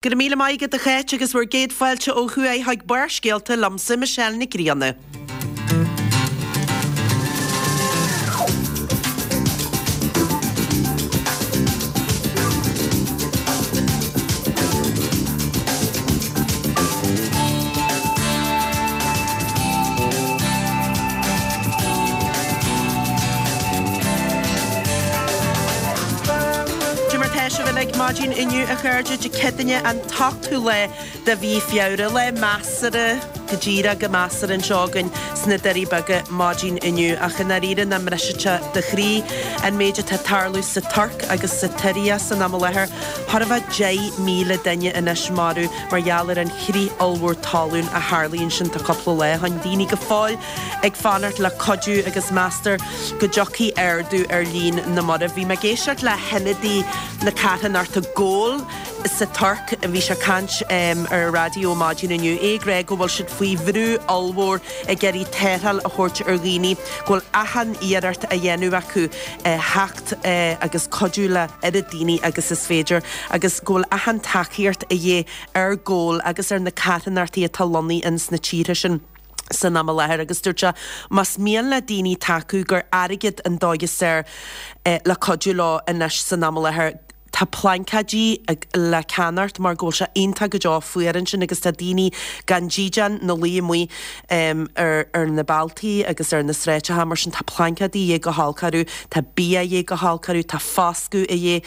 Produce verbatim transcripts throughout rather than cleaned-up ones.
Go raibh míle maith agat a Cháit agus bhur gcéad fáilte ó thuaidh chuig Barrscéalta liomsa Michelle Nic Grianna. Cad é mar tá sibh uilig maidin inniu a chairde Dé Céadaoine an t-ochtú lá de mhí Feabhra lá measartha go díreach go measartha anseo againn sna Doirí Beaga maidin inniu ach i ndáiríre nach mbrisfeadh sé do chroí an méid atá ag tarlú sa Tuirc agus sa tSiria san am i láthair. Chóir a bheith deich míle duine anois marbh mar gheall ar an chrith ollmhór talún a tharlaigh ansin tá cúpla lá ó shin. Daoine go fóill ag fanacht le cuidiú agus meastar go dtiocfaidh ardú ar líon na marbh. Bhí mé ag éisteacht le hionadaí na carthanachta Goal sa Tuirc, bhí sé ag caint ar an raidió maidin inniu, é ag rá go bhfuil siad faoi bhrú ollmhór ag iarraidh tarrtháil a thabhairt ar dhaoine, go bhfuil achan iarracht á dhéanamh acu theacht agus cuidiú le oiread daoine agus is féidir agus go bhfuil achan tacaíocht a dhíth ar Goal agus ar na carthanachtaí atá lonnaithe ins na tíortha sin san am i láthair agus dúirt sé más mian le daoine tacú gur airgead an dóigh is fearr le cuidiú leo anois san am i láthair. Tá plaincéidí le ceannacht mar go bhfuil sé iontach go deo fuar ansin agus tá daoine gan dídean 'na luí amuigh ar ar na bealtaí agus ar na sráideacha mar sin tá plaincéidí a dhíth go holc orthu, tá bia a dhíth go holc orthu, tá foscadh a dhíth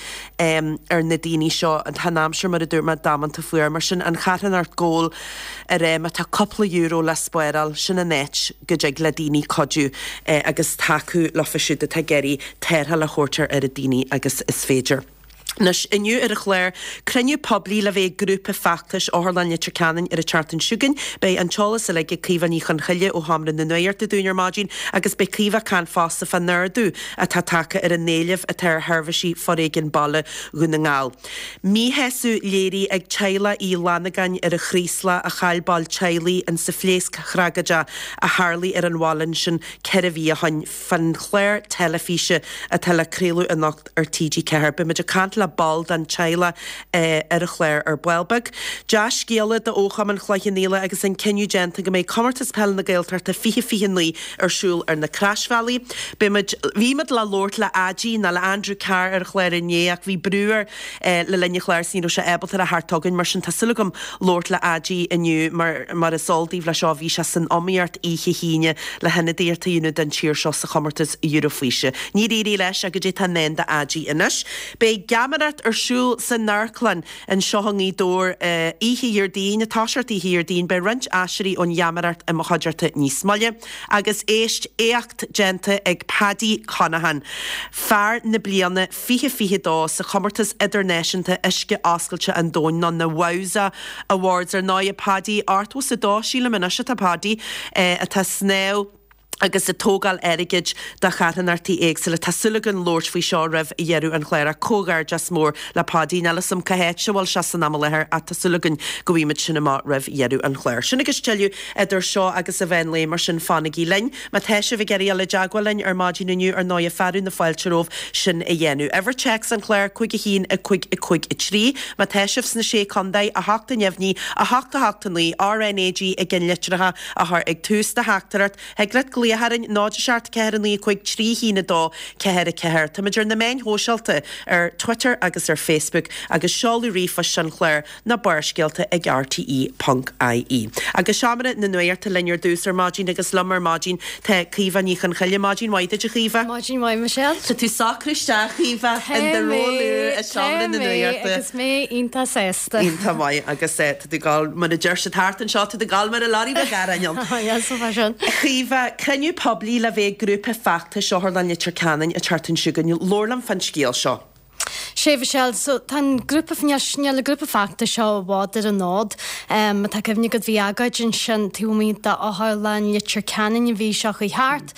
ar na daoine seo. Tá an aimsir mar a dúirt mé damanta fuar mar sin an charthanacht Goal ag rá má tá cúpla euro le spáráil sin an áit go dtig le daoine cuidiú agus tacú leofa siúd atá ag iarraidh tarrtháil a thabhairt ar oiread daoine agus is féidir. Anois, inniu ar an chlár, cruinniú poiblí le bheith ag grúpa feachtais Otharlann Leitir Ceanainn ar an tseachtain seo chugainn. Beidh an t-eolas uilig ag Caoimhe Ní Chonchoille ó Sheomra na Nuachta dúinn ar maidin agus beidh Caoimhe ag caint fosta fán ardú atá tagtha ar an éileamh atá ar sheirbhísí foréigin baile Dhún na nGall. Míshásamh léirithe ag teaghlach Uí Fhlannagáin ar an Chraoslach a chaill ball teaghlaigh in sa phléasc thragóideach a tharlaigh ar an bhaile ansin ceithre mhí ó shin fán chlár teilifíse atá le craoladh anocht ar T G ceathair. Beimid ag caint le ball den teaghlach ar an chlár ar ball beag. Dea-scéala do Chumann Chloich Cheann Fhaola agus an cinneadh déanta go mbeidh Comórtas Peile na Gaeltachta fiche fiche naoi ar siúl ar na Croisbhealaí. Beimid, bhí muid le labhairt le Aidí nó le Andrew Carr ar an chlár inné ach bhí brú air le linn an chláir is ní raibh sé ábalta a theacht chugainn mar sin tá súil agam labhairt le Aidí inniu mar mar is eol daoibh leis seo bhí sé san iomaíocht oíche hAoine le hionadaíocht a dhéanamh don tír seo sa chomórtas Eurofíse. Níor éirigh leis ach goidé tá i ndán d'Aidí anois. Beidh geamaireacht ar siúl san amharclann anseo i nGaoth Dobhair oíche Dhéardaoin, ag toiseacht oíche Dhéardaoin. Beidh roinnt aiséirí ón gheamaireacht i mo chuideachta níos moille. Agus éist, éacht déanta ag Paddy Conaghan, fear na bliana fiche fiche dó sa chomórtas idirnáisiúnta Uisce Oscailte an Domhain, nó na Wowza Awards. Ar ndóigh, Paddy, ochtó is a dó, sílim anois atá Paddy, atá ag snámh agus ag tógáil airgid do charthanachtaí éagsúla. Tá súil againn labhairt faoi seo roimh dheireadh an chláir ach comhghairdeas mór le Paidí. Níl 'fhios a'm cá háit a bhfuil sé san am i láthair ach tá súil againn go bhfaighimid sin amach roimh dheireadh an chláir. Sin agus tuilleadh idir seo agus an mheán lae mar sin fanaigí linn. Má tá sibh ag iarraidh dul i dteagmháil linn ar maidin inniu ar ndóigh fearadh na fáilte romhaibh sin a dhéanamh. Uimhir téacs an chláir, cúig a haon, a cúig, a cúig, a trí. Má tá sibh sna Sé Contae, a hocht a neamhní, a hocht a hocht a naoi, R N A G i gceannlitreacha a chur ag tús do theachtaireacht. Thig leat glaoch orainn, náid a seacht ceathair a naoi a cúig trí haon a dó ceathair a ceathair. Táimid ar na meáin shóisialta, ar Twitter agus ar Facebook, agus seoladh ríomhphoist an chláir ná Barrscéalta ag R T E ponc I E. Agus Seomra na Nuachta linn ar dtús ar maidin agus liom ar maidin tá Caoimhe Ní Chonchoille. Maidin mhaith duit a Chaoimhe. Maidin mhaith Michelle. Tá tú socrú isteach Caoimhe in Tá do mé, ról nua i tá Seomra na mé Nuachta. agus mé iontach sásta. Iontach maith agus tá tú ag gabháil mar a deir siad thart anseo tá tú ag gabháil mar a lorry beag aráin ann. Yes, so far sin. A Chaoimhe, cruinniú poiblí le bheith ag grúpa feachtais Otharlann Leitir Ceanainn an tseachtain seo chugainn. Labhair liom fán scéal seo. Sé Michelle, so tá an grúpa níl níl an grúpa feachtais seo i bhfad ar an fhód. Um, tá cuimhne agat bhí agóid ansin taobh amuigh d'Otharlann Leitir Ceanainn an mhí seo chuaigh thart.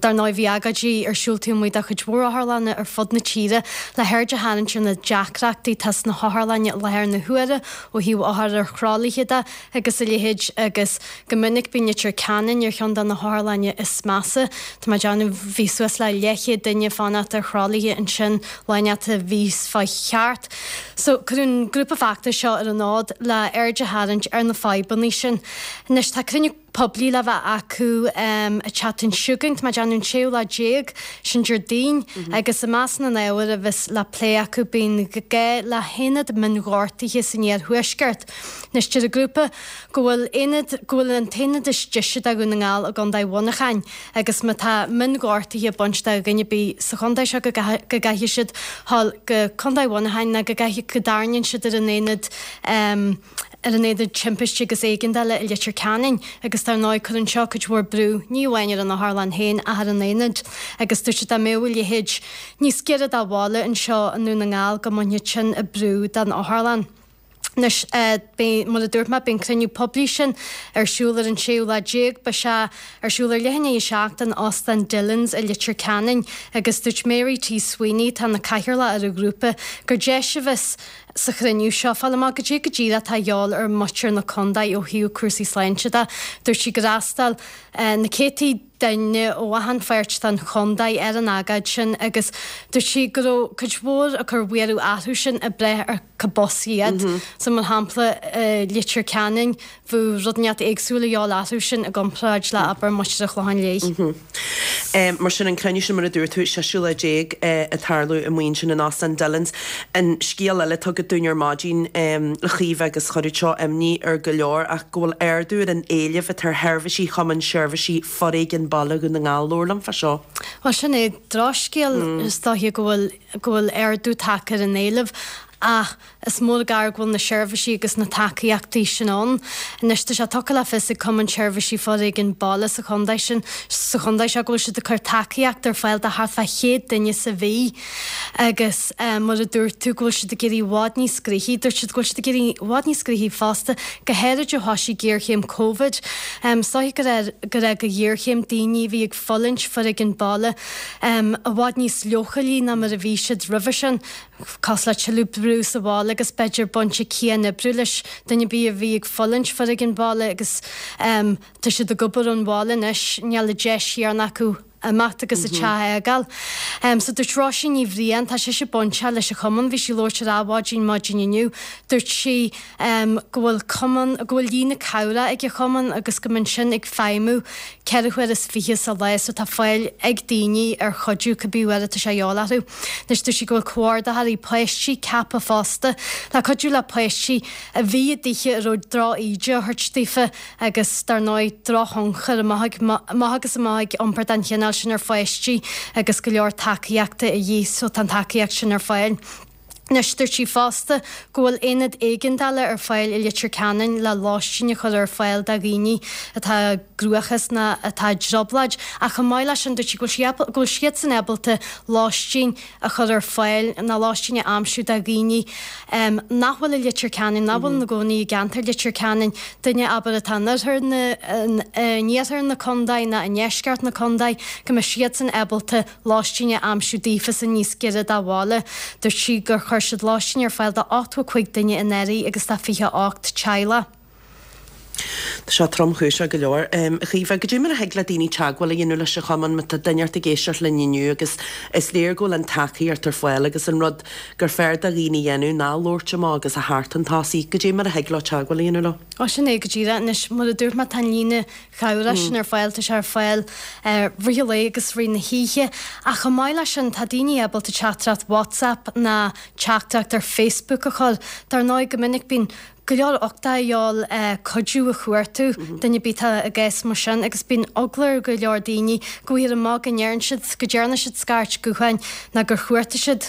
Dar ndóigh bhí agóidí ar siúl taobh amuigh de chuid mhór otharlanna ar fud na tíre le haird a tharraingt ar na deacrachtaí atá sna hotharlanna i láthair na huaire ó thaobh othair ar throlaithe de agus a leithéid agus go minic bíonn Leitir Ceanainn ar cheann de na hotharlanna is measa. Tá mé ag déanamh bhí suas le leathchéad duine fanacht ar throlaithe ansin lá inteacht a bhí bhíos fá cheart. So cuireadh an grúpa feachtais seo ar an fhód le aird a tharraingt ar na fadhbanna sin. Anois tá cruinniú poiblí le bheith acu an tseachtain seo chugainn, tá mé ag déanamh an séú lá déag, sin Déardaoin, agus i measc na n-ábhar a bheas le plé acu bíonn gá le haonad mionghortaithe san iarthuaisceart. Anois deir an grúpa go bhfuil aonad, go bhfuil an t-aonad is deise do Dhún na nGall i gContae Mhuineacháin agus má tá mionghortaithe ag baint do dhuine ar bith sa chontae seo go gcaithfidh siad dhul go Contae Mhuineacháin nó go gcaithfidh, go dtarraingíonn siad ar an aonad ar an aonad timpiste agus éigeandála i Leitir Ceanainn agus dar ndóigh cuireann seo cuid mhór brú ní amháin ar an otharlann féin ach ar an aonad agus dúirt siad dá mbeadh a leithéid níos giorra do bhaile anseo i nDún na nGall go mbainfeadh sin an brú den otharlann. Anois, beidh, mar a dúirt mé, beidh an cruinniú poiblí sin ar siúl ar an séú lá déag. Beidh sé ar siúl ar leath i ndiaidh a seacht in Óstán Dillon's i Leitir Ceanainn agus dúirt Mary T Sweeney, atá ina cathaoirleach ar an ghrúpa, gur deis a bheas sa chruinniú seo fáil amach goidé go díreach atá a dhíobháil ar mhuintir na contae ó thaobh cúrsaí sláinte de. Dúirt sí gur fhreastail na céadtaí duine ó achan pháirt den chontae ar an agóid sin agus dúirt sí go raibh cuid mhór ag cur buaireamh orthu sin ag brath ar cá b'as iad. So mar shampla i Leitir Ceanainn bheadh rud inteacht éagsúil a dhíobháil orthu sin i gcomparáid le abair muintir an Chlocháin Léith. Mar sin an cruinniú sin mar a dúirt tú, séú lá déag ag tarlú amuigh ansin in Óstán Dillon's. An scéal eile atá agat dúinn ar maidin a Chaoimhe agus chuirfeadh seo imní ar go leor ach go bhfuil ardú ar an éileamh atá ar sheirbhísí Chumann Seirbhísí Foréigin Baile Dhún na nGall. Labhair liom fá seo. Bhuel sin é drochscéal is dóiche go bhfuil go bhfuil ardú tagtha ar an éileamh ach is mór an gar go bhfuil na seirbhísí agus na tacaíochtaí sin ann. Anois tá sé tugtha le fios ag Cumann Seirbhísí Foréigin Baile sa chontae sin sa chontae seo go bhfuil siad ag cur tacaíocht ar fáil do thart fá chéad duine sa mhí agus mar a dúirt tú go bhfuil siad ag éirí i bhfad níos gnoithí. Dúirt siad go bhfuil siad ag éirí i bhfad níos gnoithí fosta, go háirid ó thoisigh géarchéim Covid. Is dóiche gur gur fhág an ghéarchéim daoine a bhí ag fulaingt foréigean baile i bhfad níos leochailí ná mar a bhí siad roimhe sin, cosúil le tuilleadh brú sa bhaile agus b'fhéidir baint ag cianoibriú leis, duine ar bith a bhí ag fulaingt foréigean baile agus tá siad ag obair ón bhaile anois, níl an deis chéanna acu imeacht agus an teach a fhágáil. So dúirt Róisín Ní Bhriain, tá sise bainteach leis an chumann, bhí sí ag labhairt ar Adhmhaidin maidin inniu, dúirt sí go bhfuil cumann, go bhfuil líne cabhrach ag an chumann agus go mbíonn sin ag feidhmiú ceithre huaire is fiche sa lá so tá fáil ag daoine ar chuidiú cibé uair atá sé a dhíobháil orthu. Anois dúirt sí go bhfuil comhordaitheoirí páistí ceaptha fosta le cuidiú le páistí a bhí i dtithe a raibh droch-íde á thabhairt daofa agus dar ndóigh drochthionchar amach amach agus amach ag iompar den chineál sin ar pháistí agus go leor tacaíochta a dhíth so tá an tacaíocht sin ar fáil. Anois dúirt sí fosta go bhfuil aonad éigeandála ar fáil i Leitir Ceanainn le lóistín a chur ar fáil do dhaoine atá i gcruachás ná atá i dtrioblóid ach chomh maith leis sin dúirt sí go bhfuil go bhfuil siadsan ábalta lóistín a chur ar fáil ná lóistín a aimsiú do dhaoine nach bhfuil i Leitir Ceanainn, nach bhfuil ina gcónaí i gceantar Leitir Ceanainn, duine abair atá in oirthear na, in iarthar na contae ná i ndeisceart na contae, go mbeidh siadsan ábalta lóistín a aimsiú daofasan níos giorra dá bhaile. Dúirt sí gur chuir siad lóistín ar fáil do ochtó a cúig duine anuraidh agus do fiche ocht teaghlach. Tá sé tromchúiseach go leor. A Chaoimhe, goidé mar a thig le daoine teagmháil a dhéanamh leis an chumann má tá duine inteacht ag éisteacht linn inniu agus is léir go bhfuil an tacaíocht ar fáil agus an rud gur fearr do dhaoine a dhéanamh ná labhairt amach agus a theacht chun tosaigh. Goidé mar a thig leo teagmháil a dhéanamh leo? Ó sin é go díreach. Anois, mar a dúirt mé, tá an líne chabhrach sin ar fáil, tá sé ar fáil rith an lae agus rith na hoíche. Ach chomh maith leis sin, tá daoine ábalta teachtaireacht WhatsApp ná teachtaireacht ar Facebook a chur. Dar ndóigh, go minic bíonn go leor uchtach a dhíobháil cuidiú a chuartú, duine ar bith atá i gcás mar sin agus bíonn eagla ar go leor daoine go bhfaighfear amach go ndeireann siad, go dtearna siad scairt gutháin ná gur chuartaigh siad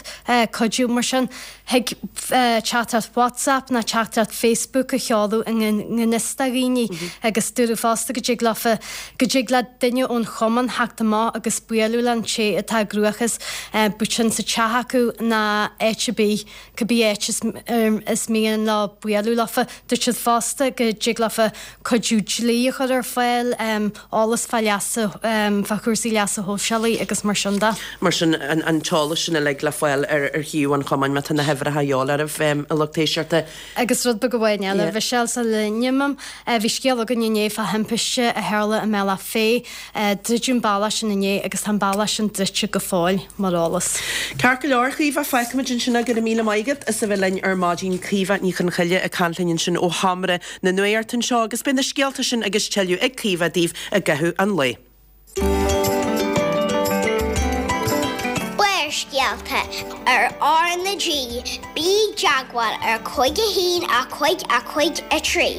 cuidiú mar sin. Thig teachtaireacht WhatsApp ná teachtaireacht Facebook a sheoladh i ngan fhios do dhaoine agus dúradh fosta go dtig leofa, go dtig le duine ón chumann theacht amach agus bualadh leis an té atá i gcruachás, bíodh sin sa teach acu ná áit ar bith. Cibé áit is mian leo bualadh leo. leofa. Dúirt siad fosta go dtig leofa cuidiú dlí a chur ar fáil, eolas fá leasa, fá chúrsaí leasa shóisialaigh agus mar sin de. Mar sin, an t-eolas sin uilig le fáil ar shuíomh an chumainn má tá na huimhreacha a dhíobháil oraibh, a lucht éisteachta. Agus rud beag amháin eile, a Mhichelle, sula n-imím, bhí scéal againn inné fá thimpiste a tharla i mBealach Féich. Druideadh an bealach sin inné agus tá an bealach sin druidte go fóill, mar eolas. Ceart go leor, Caoimhe, fágfaimid ansin é. Go raibh míle maith agat as a bheith linn ar maidin. Caoimhe Ní Chonchoille ag caint linn ansin ó sheomra na nuachta anseo agus beidh na scéalta sin agus tuilleadh ag Caoimhe daoibh i gcaitheamh an lae. Barrscéalta ar R na G, bí i dteagmháil ar cúig a haon a cúig a cúig a trí.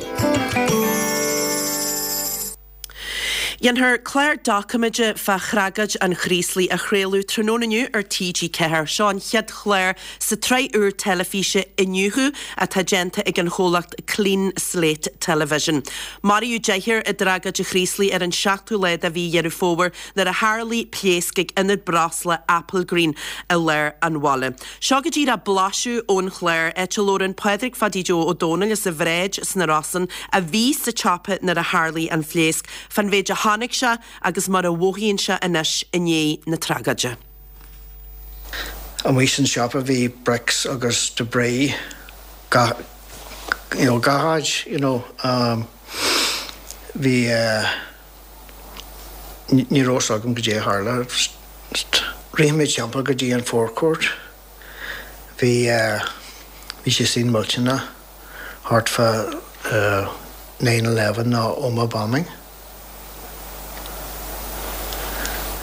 Dhéanfar clár doiciméide fá thragóid an Chraoslaigh a chraoladh tráthnóna inniu ar T G ceathair. Seo an chéad chlár sa tsraith úr teilifíse Iniúchadh atá déanta ag an chomhlacht Clean Slate Television. Maraíodh deichniúr i dtragóid an Chraoslaigh ar an seachtú lá de mhí Dheireadh Fómhair nuair a tharlaigh pléasc ag ionad breosla Applegreen i lár an bhaile. Seo go díreach blaiseadh ón chlár, áit a labhrann Pádraig Phaidí Joe Ó Dónaill as an Bhráid sna Rosann, a bhí sa tsiopa nuair a tharlaigh an phléasc, fán mhéid a chonaic sé agus mar a mhothaíonn sé anois i ndiaidh na tragóide. Amuigh san siopa bhí bricks agus debris gach, you know, gach áit, you know, um, bhí eh, ní raibh fhios agam goidé a tharla. Rith mé timpeall go dtí an forecourt. Bhí eh, bhí sé sin millteanach thart fá eh, nine eleven nó Omagh bombing.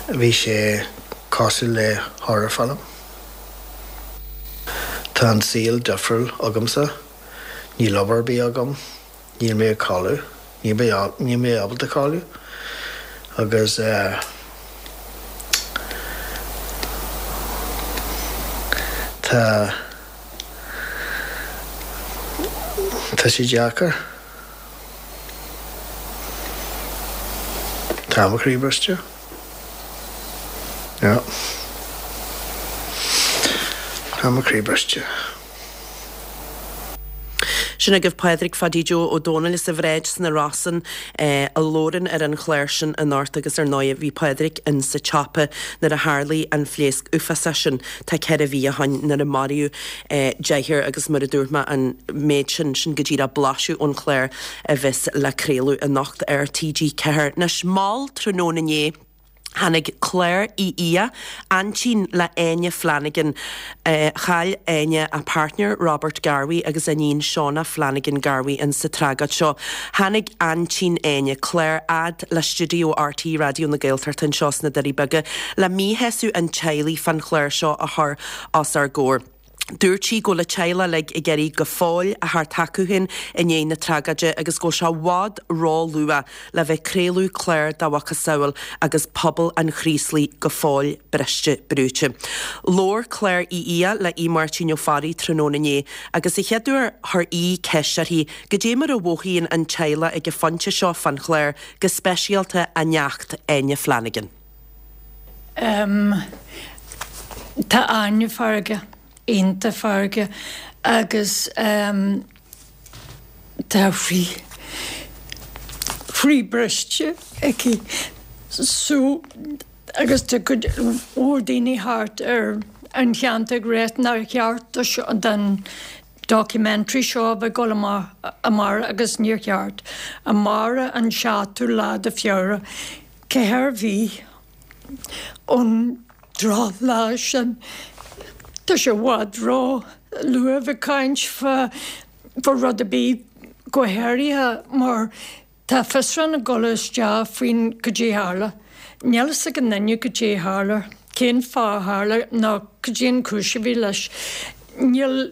Bhí sé cosúil le horror film. Tá an saol difriúil agamsa. Níl obair ar bith agam. Níl mé ag codladh. Níl mé níl mé ábalta codladh. Agus eh, tá tá sé deacair. Tá mo chroí briste. Yeah. Tá mo chroí briste. Sin agaibh Pádraig Phaidí Joe Ó Dónaill as an Bhráid sna Rosann a labhrann ar an chlár sin anocht agus ar ndóigh bhí Pádraig in sa tsiopa nuair a tharlaigh an phléasc uafásach sin tá ceithre mhí ó shoin nuair a maraíodh deichniúr agus mar a dúirt mé an méid sin sin go díreach blaiseadh ón chlár a bheas le craoladh anocht ar T G ceathair. Anois mall tráthnóna inné tháinig Claire Uí Fhiaich, aintín le Áine Flanagan. Chaill Áine a páirtneir Robert Garvey agus a iníon Shauna Flanagan Garvey in sa tragóid seo. Tháinig aintín Áine, Claire, fhad le stiúideo R T É Raidió na Gaeltachta anseo sna Doirí Beaga le míshásamh an teaghlaigh fán chlár seo a chur os ár gcomhair. Dúirt sí go bhfuil a teaghlach uilig ag iarraidh go fóill a theacht chucu féin i ndiaidh na tragóide agus go bhfuil sé i bhfad ró-luath le bheith ag craoladh clár dá mhacasamhail agus pobal an Chraoslaigh go fóill briste brúite. Labhair Claire Uí Fhiaich le Aodh Máirtín Ó Fearraigh tráthnóna inné agus a chéaduair chuir Aodh ceist uirthi goidé mar a mhothaíonn an teaghlach ag an phointe seo fán chlár, go speisialta a neacht Áine Flanagan. Em, tá Áine feargach, iontach feargach agus em, tá a croí, croí briste aici so agus tá cuid mhór daoine thart ar an cheantar ag rá nár cheart do seo, don documentary seo a bheith ag dul amach amárach agus níor cheart. Amárach an seachtú lá de Feabhra, ceithre mhí ón drochlá sin. Tá sé i bhfad ró luath a bheith ag caint fá fá rud ar bith go háirithe mar tá fiosrúchán ag dul isteach faoin goidé a tharla. Níl fhios ag aon duine goidé a tharla, cén fáth a tharla nó goidé an chúis a bhí leis. Níl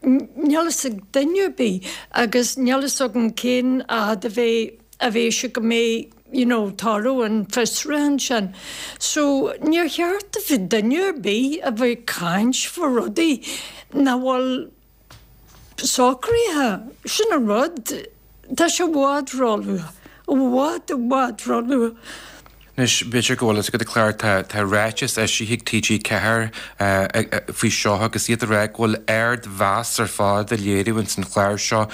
Níl fhios ag duine ar bith agus níl fhios agam cén fhad a bheidh a bheidh sé go mbeidh you know toradh an fiosrúcháin sin. So níor cheart do bheith duine ar bith a bheith ag caint fá rudaí nach bhfuil socraithe. Sin an rud. Tá sé i bhfad róluath. I bhfad i bhfad róluath. Anois, b'fhéidir go bhfuil fhios agat, a Claire, tá tá ráiteas eisithe ag T G Ceathair faoi seo agus iad ag rá go bhfuil ardmheas ar fad á léiriú ins an chlár seo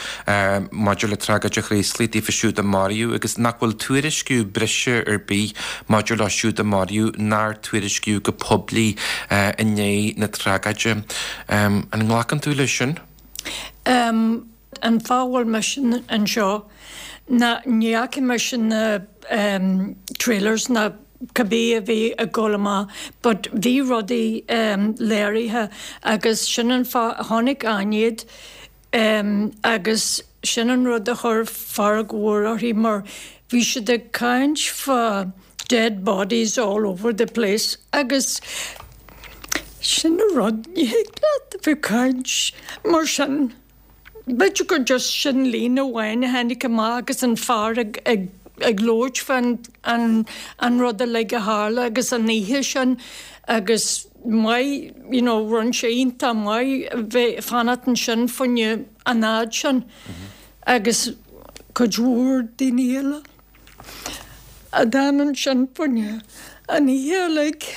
maidir le tragóid an Chraoslaigh daofa siúd a maraíodh agus nach bhfuil tuairisciú breise ar bith maidir leo siúd a maraíodh nár tuairiscíodh go poiblí i ndiaidh na tragóide. An nglacann tú leis sin? An fáth a bhfuil mise anseo ná ní fhaca mise na trailers ná cibé a bhí ag dul amach but bhí rudaí léirithe agus sin an fáth a chonaic Áine iad agus sin an rud a chuir fearg mhór uirthi mar bhí siad ag caint fá dead bodies all over the place agus sin an rud, ní thig leat a bheith ag caint mar sin. B'fhéidir gur just sin líne amháin a tháinig amach agus an fear ag ag ag labhairt fán an an rud uilig a tharla agus an oíche sin agus maith you know rinne sé iontach maith a bheith fanacht ansin fá choinne an fhad sin agus cuid mhór daoine eile a d'fhan ansin fá choinne an oíche uilig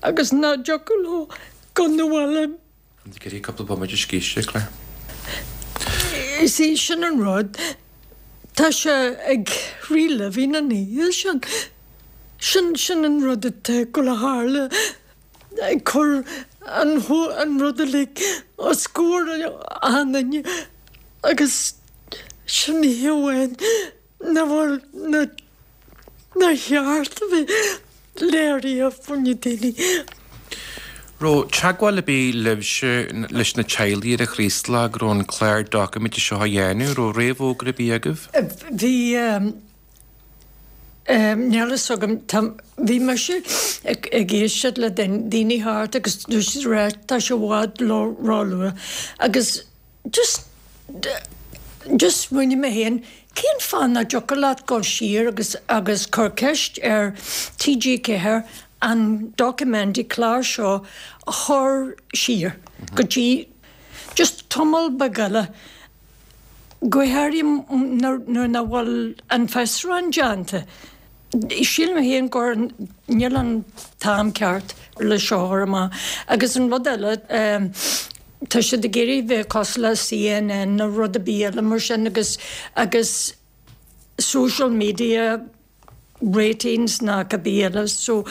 agus nach dtiocfadh leo dul 'na bhaile. An dtig cúpla bomaite scíste, Claire? Is é sin an rud. Tá sé ag reliving an oíche sin. Sin sin an rud atá ag dul a tharla ag cur an an rud uilig os comhair achan duine agus sin oíche amháin nach bhfuil na nár cheart a bheith léirithe fá choinne daoine. Raibh teagmháil ar bith libhse leis na teaghlaigh ar an Chraoslach go raibh an clár doiciméide seo á dhéanamh, raibh réamhfhógra ar bith agaibh? Bhí, níl fhios agam, bhí mise ag éisteacht le daoine thart agus dúirt siad rá tá sé i bhfad róluath agus just just smaoinigh mé féin cén fáth nach dtiocfadh leat dul siar agus agus cur ceist ar T G Ceathair an documentary clár seo a chur siar go dtí just tamall beag eile go háirithe nuair nach bhfuil an fiosrúchán déanta. Sílim féin gur níl an t-am ceart le seo a chur amach agus an rud eile tá siad ag iarraidh bheith cosúil le C N N nó rud ar bith eile mar sin agus agus social media ratings ná cibé eile so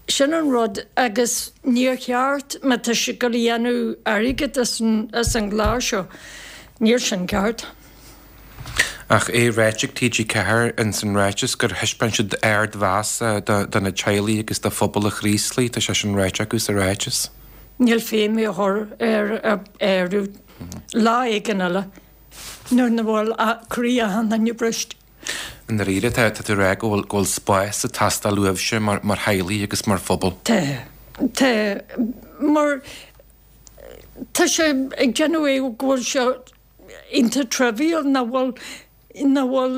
sin an rud agus níor cheart má tá siad ag déanamh airgead as an as an gclár seo níl sin ceart. Ach é ráite ag T G Ceathair in san ráiteas gur thaispeáin siad ardmheas do na teaghlaigh agus do phobal an Chraoslaigh, tá sé sin ráite acu sa ráiteas. Níl féim a chur ar ar lá éigin eile nuair nach bhfuil croí achan duine briste. I ndáiríre tá tú ag rá go bhfuil go bhfuil spás ag teastáil uaibhse mar mar theaghlaigh agus mar phobal. Tá tá mar tá sé ag déanamh é go bhfuil sé iontach trivial nach bhfuil nach bhfuil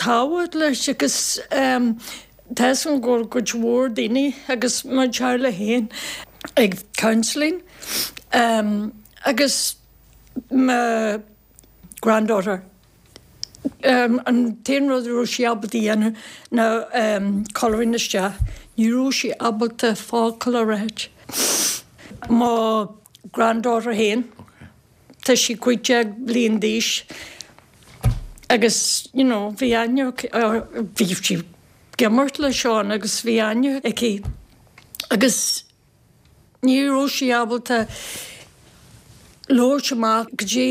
tábhacht leis agus tá an go bhfuil cuid mhór daoine agus mo theaghlach féin ag counselling agus mo granddaughter an t-aon rud a raibh sí ábalta a dhéanamh ná colouring isteach, ní raibh sí ábalta focal a ráit. Mo granddaughter féin tá sí cúig déag bliain d'aois agus you know bhí aithne bhí sí ag imirt le Seán agus bhí aithne aici agus ní raibh sí ábalta labhairt amach go dtí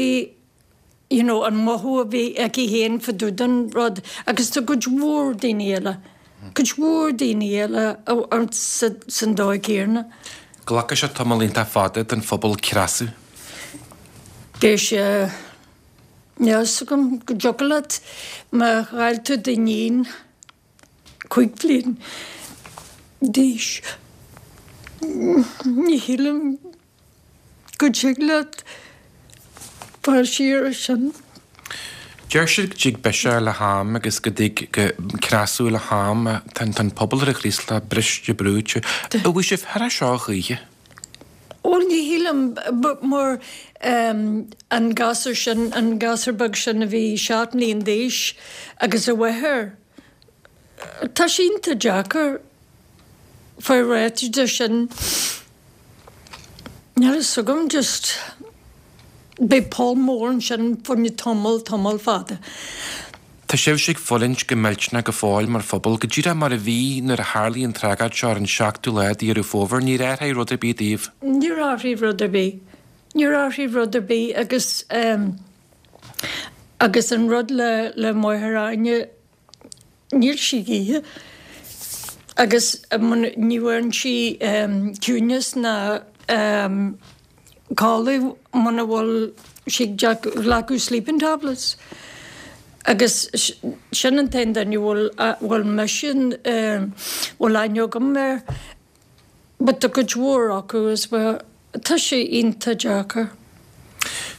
you know an mothú a bhí aici féin fá dtaobh den rud agus tá cuid mhór daoine eile cuid mhór daoine eile san dóigh céanna. Glacfaidh sé tamall iontach fada don phobal creasadh. Beidh sé níl a fhios agam go dtiocfadh leat má chaill tú d'iníon cúig bliain d'aois. Ní shílim go dtig leat fáil siar as sin. Deir siad go dtig biseach le ham agus go dtig go creasadh le ham tá an pobal ar an Chraoslach briste brúite. An bhfuil sibh thar seo choíche? Bhuel ní shílim mar an gasúr sin an gasúr beag sin a bhí seacht mbliain d'aois agus a mháthair Tá sé iontach deacair fáil réidh de sin. Níl a fhios agam just beidh poll mór ansin fá choinne tamall, tamall fada. Tá sibhse ag fulaingt go millteanach go fóill mar phobal, go díreach mar a bhí nuair a tharlaigh an tragóid seo ar an seachtú lá de Dheireadh Fómhair. Níor athraigh rud ar bith daoibh. Níor athraigh rud ar bith. Níor athraigh rud ar bith agus agus an rud le le máthair Áine, níl sí ag ithe agus ní bhfuaireann sí ciúineas ná codladh muna bhfuil sí ag glacadh sleeping tablets. Agus sin an t-aon duine a bhfuil bhfuil mise bhfuil aithne agam air. But tá cuid mhór acu as well. Tá sé iontach deacair.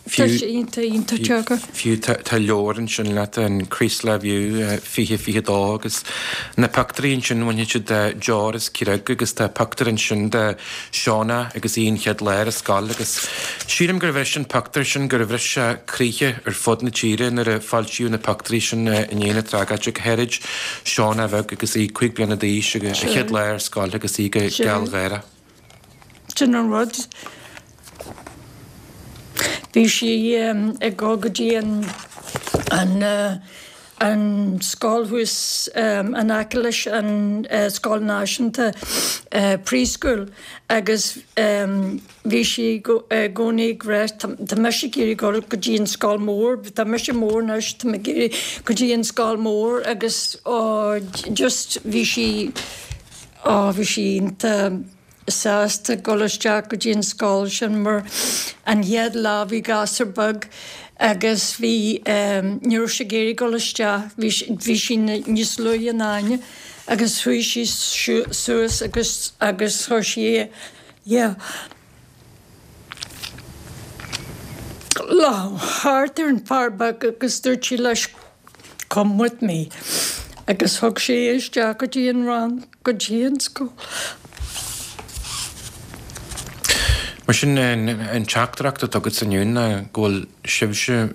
Tá sé iontach iontach deacair. Fiú tá leabhar ansin leat, an Creeslough View fiche fiche dó agus na pictiúirí ansin bhainfidh siad de deor as creag agus tá pictiúr ansin de Shauna agus í an chéad lá ar scoil agus sílim gur bhris an pictiúr sin gur bhris sé croíthe ar fud na tíre nuair a foilsíodh na pictiúirí sin i ndiaidh na tragóide, go háirid Shauna bheag agus í cúig bliana d'aois agus a chéad lá ar scoil agus í go gealgháireach. Sin an rud. Bhí sí ag dul go dtí an an an scoil thuas in aice leis an scoil náisiúnta preschool agus bhí sí i gcónaí ag rá tá mise ag iarraidh dul go dtí an scoil mór, tá mise mór anois, tá mé ag iarraidh go dtí an scoil mór agus oh just bhí sí oh bhí sí iontach sásta dul isteach go dtí an scoil sin mar an chéad lá bhí gasúr beag agus bhí ní raibh sé ag iarraidh dul isteach, bhí bhí sí níos luaithe ná Áine agus chuaigh sí suas agus agus chuir sí yeah lámh thart ar an fear beag agus dúirt sí leis come with me agus thug sí é isteach go dtí an rang, go dtí an scoil. Mar sin, an teachtaireacht atá agat inniu ná go bhfuil sibhse,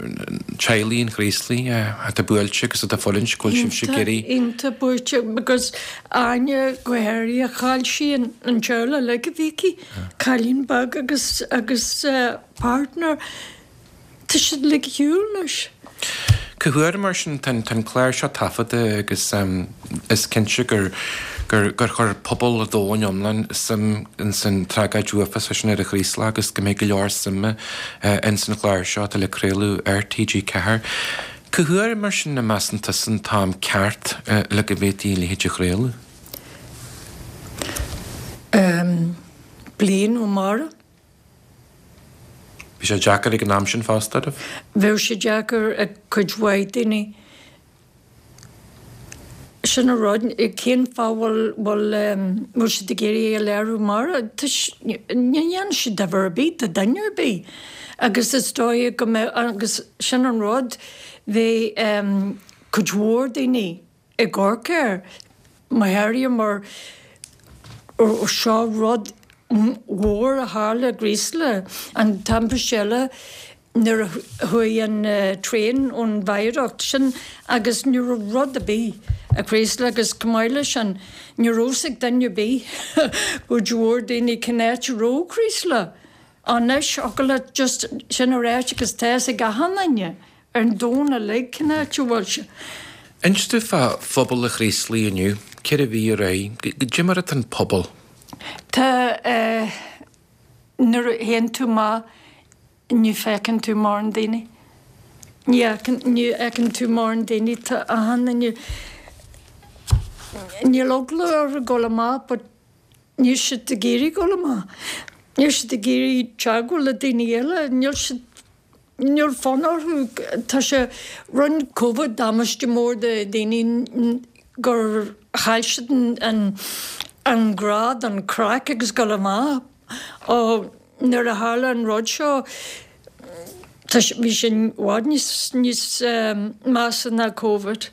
teaghlaigh an Chraoslaigh, atá buailte agus atá ag fulaingt, go bhfuil sibhse ag iarraidh. Iontach buailte because Áine go háirithe, chaill sí an teaghlach uilig a bhí aici, cailín beag agus agus partner. Tá siad uilig ar shiúl anois. Cá huair mar sin, tá an clár seo taifeadta agus is cinnte gur gur gur chuir pobal an domhain iomlán suim ins an tragóid uafásach sin ar an Chraoslach agus go mbeidh go leor suime ins an chlár seo atá le craoladh ar T G ceathair. Cá huair mar sin a measann tusa an t-am ceart le go bhféadfaí a leithéid a chraoladh? Bliain ó amárach. Bhí sé deacair ag an am sin fosta oraibh? Bheadh sé deacair ag cuid mhaith daoine. Sin an rud, cén fáth bhfuil, bhfuil, bhfuil siad ag iarraidh é a léiriú amárach? Ní dhéanann sé difear ar bith do dhuine ar bith. Agus is dóigh go mbeadh, agus sin an rud, bheadh cuid mhór daoine ag amharc air, go háirithe mar seo rud mhór a tharla i gCraoslach, an timpiste eile nuair a chuaigh an traein ón viaduct sin agus ní raibh rud ar bith i gCraoslach agus chomh maith leis sin ní raibh fhios ag duine ar bith cuid mhór daoine cén áit a raibh Craoslach. Anois thiocfadh leat just sin a ráit agus tá fhios ag achan duine ar an domhan uilig cén áit a bhfuil sé. Inis domh fá phobal an Chraoslaigh inniu, ceithre mhí ar aghaidh, goidé mar atá an pobal? Tá, nuair a théann tú amach ní feiceann tú mórán daoine. Ní fheiceann, ní fheiceann tú mórán daoine, tá achan duine, níl eagla orthu dul amach but níl siad ag iarraidh dul amach. Níl siad ag iarraidh teagmháil le daoine eile, níl siad, níl fonn orthu, tá sé, rinne Covid damáiste mór do dhaoine gur chaill siad an an grá don chraic agus dul amach. Ó nuair a tharla an rud seo tá sé, bhí sé i bhfad níos níos measa ná Covid.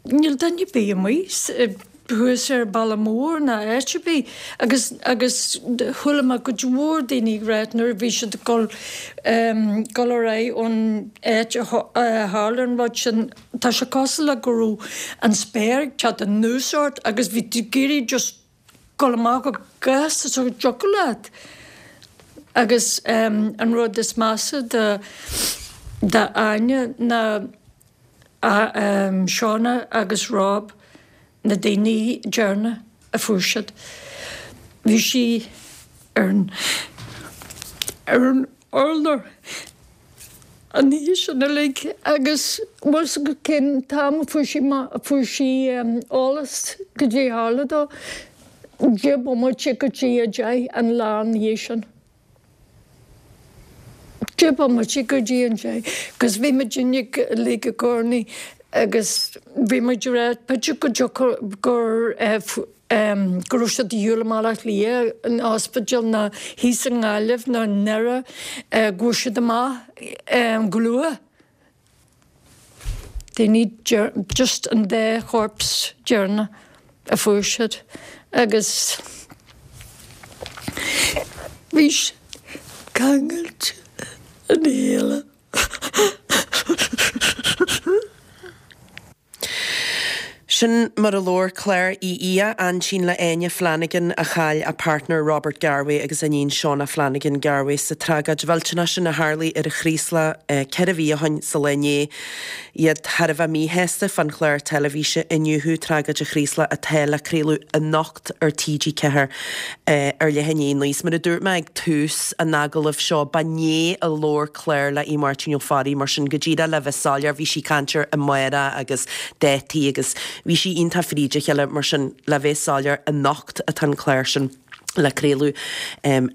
Níl duine ar bith amuigh thuas ar Baile Mór ná áit ar bith agus agus chuala mé cuid mhór daoine ag ráit nuair a bhí siad ag dul dul ar aghaidh ón áit a tharla an rud sin, tá sé cosúil le go raibh an spéir ag teacht anuas ort agus bhí tú ag iarraidh just dul amach chomh gasta is a dtiocfadh leat. Agus an rud is measa do d'Áine ná Shauna agus Rob, na daoine deireanach a fuair siad. Bhí sí ar an ar an urlár an oíche sin uilig agus bhfuil fhios agat cén t-am a fuair sí fuair sí eolas goidé a tharla dó? Deich bomaite go dtí a deich an lá ina dhiaidh sin. Deich bomaite go dtí an deich agus bhí muidinne uilig ag urnaí agus bhí muid ag rá b'fhéidir go dtiocfadh gur go raibh siad de dhíobháil i mBaile Átha Cliath in ospidéal nó thíos i nGaillimh nó i nDoire go bhfuair siad amach go luath. Daoine just an dá chorps deireanach a fuair siad agus bhí siad ceangailte ina chéile. Sin mar a labhair Claire Uí Aodha, aintín le Áine Flanagan a chaill a partner Robert Garwe agus a iníon Shauna Flanagan Garwe sa tragóid mhillteanach sin a tharlaigh ar an Chraoslach ceithre mhí ó shin sa lá inné. Iad thar a bheith míshásta fán chlár teilifíse Iniúchadh Tragóid an Chraoslaigh atá le craoladh anocht ar T G ceathair ar leath i ndiaidh a naoi. Is mar a dúirt mé ag tús an agallaimh seo, ba inné a labhair Claire le Aodh Máirtín Ó Fearraigh, mar sin go díreach le bheith soiléir, bhí sí ag caint ar amárach agus dátaí agus bhí sí iontach fríd a chéile, mar sin le bheith soiléir, anocht atá an clár sin le craoladh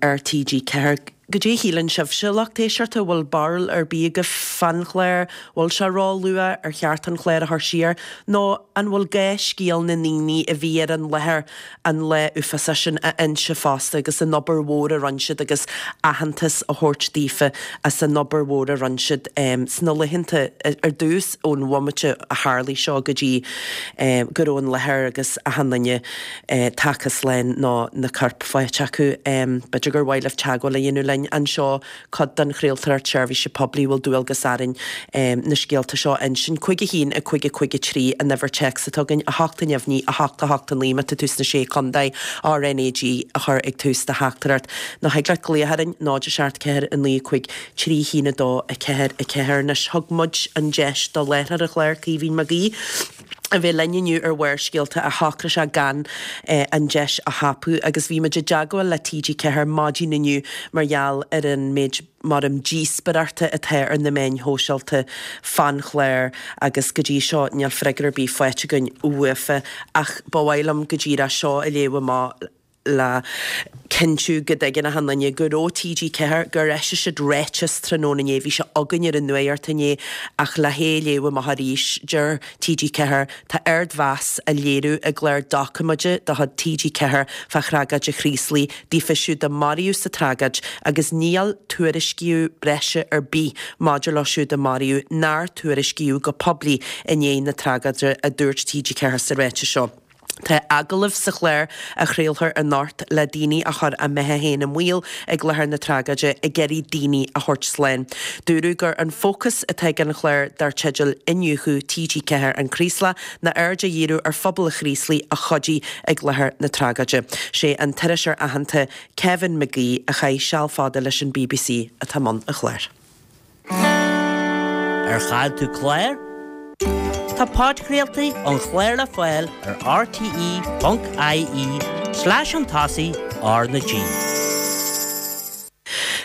ar T G ceathair. Goidé a shíleann sibhse, lucht éisteachta, an bhfuil barúil ar bith agaibh fán chlár? Bhfuil sé ró-luath? Ar cheart an clár a chur siar? Nó an bhfuil gá scéal na ndaoine a bhí ar an láthair an lá uafásach sin a inse fosta agus an obair mhór a rinne siad agus aitheantas a thabhairt daofa as an obair mhór a rinne siad sna laethanta ar dtús ón bhomaite a tharlaigh seo go dtí go raibh an láthair agus achan duine tagtha slán nó na coirp faighte acu. B'fhéidir gur mhaith libh teagmháil a dhéanamh linn anseo, cuid den chraoltóireacht seirbhíse poiblí, bhfuil dualgas orainn na scéalta seo a insint. Cúig a haon, a cúig a cúig a trí an uimhir téacs atá againn, a hocht a neamhní, a hocht a hocht a naoi má tá tú sna Sé Chontae, R N A G a chur ag tús do theachtaireacht. Nó thig leat glaoch orainn, náid a seacht ceathair a naoi a cúig trí haon a dó a ceathair a ceathair. Anois thug muid an deis do láithreoir an chláir, Caoimhín Mag Aoidh, a bheith linn inniu ar Bharrscéalta ach shocraigh sé gan an deis a thapú agus bhí muid i dteagmháil le T G ceathair maidin inniu mar gheall ar an méid maram díospóireachta atá ar na meáin shóisialta fán chlár agus go dtí seo níl freagra ar bith faighte againn uafa ach ba mhaith liom go díreach seo a léamh amach le cinntiú go dtuigeann achan duine go raibh T G ceathair, gur eisigh siad ráiteas tráthnóna inné, bhí sé againn ar an nuacht inné ach le hé a léamh amach arís, deir T G ceathair, tá ardmheas á léiriú i gclár doiciméide de chuid T G ceathair fá thragóid an Chraoslaigh daofa siúd a maraíodh sa tragóid agus níl tuairisciú breise ar bith maidir leo siúd a maraíodh nár tuairiscíodh go poiblí i ndiaidh na tragóide, a dúirt T G ceathair sa ráiteas seo. Tá agallamh sa chlár a chraolfar anocht le daoine a chuir a mbeatha féin i mbaol ag láthair na tragóide ag iarraidh daoine a thabhairt slán. Dúradh gur an fócas atá ag an chlár dar teideal Iniúchadh T G ceathair An Craoslach ná aird a dhíriú ar phobal an Chraoslaigh a chuidigh ag láthair na tragóide. Sé an t-iriseoir aitheanta Kevin McGee a chaith seal fada leis an B B C atá i mbun an chláir. Ar chaill tú clár? Tá podchraoltaí an chláir le fáil ar R T E ponc I E slash an tosaigh R na G.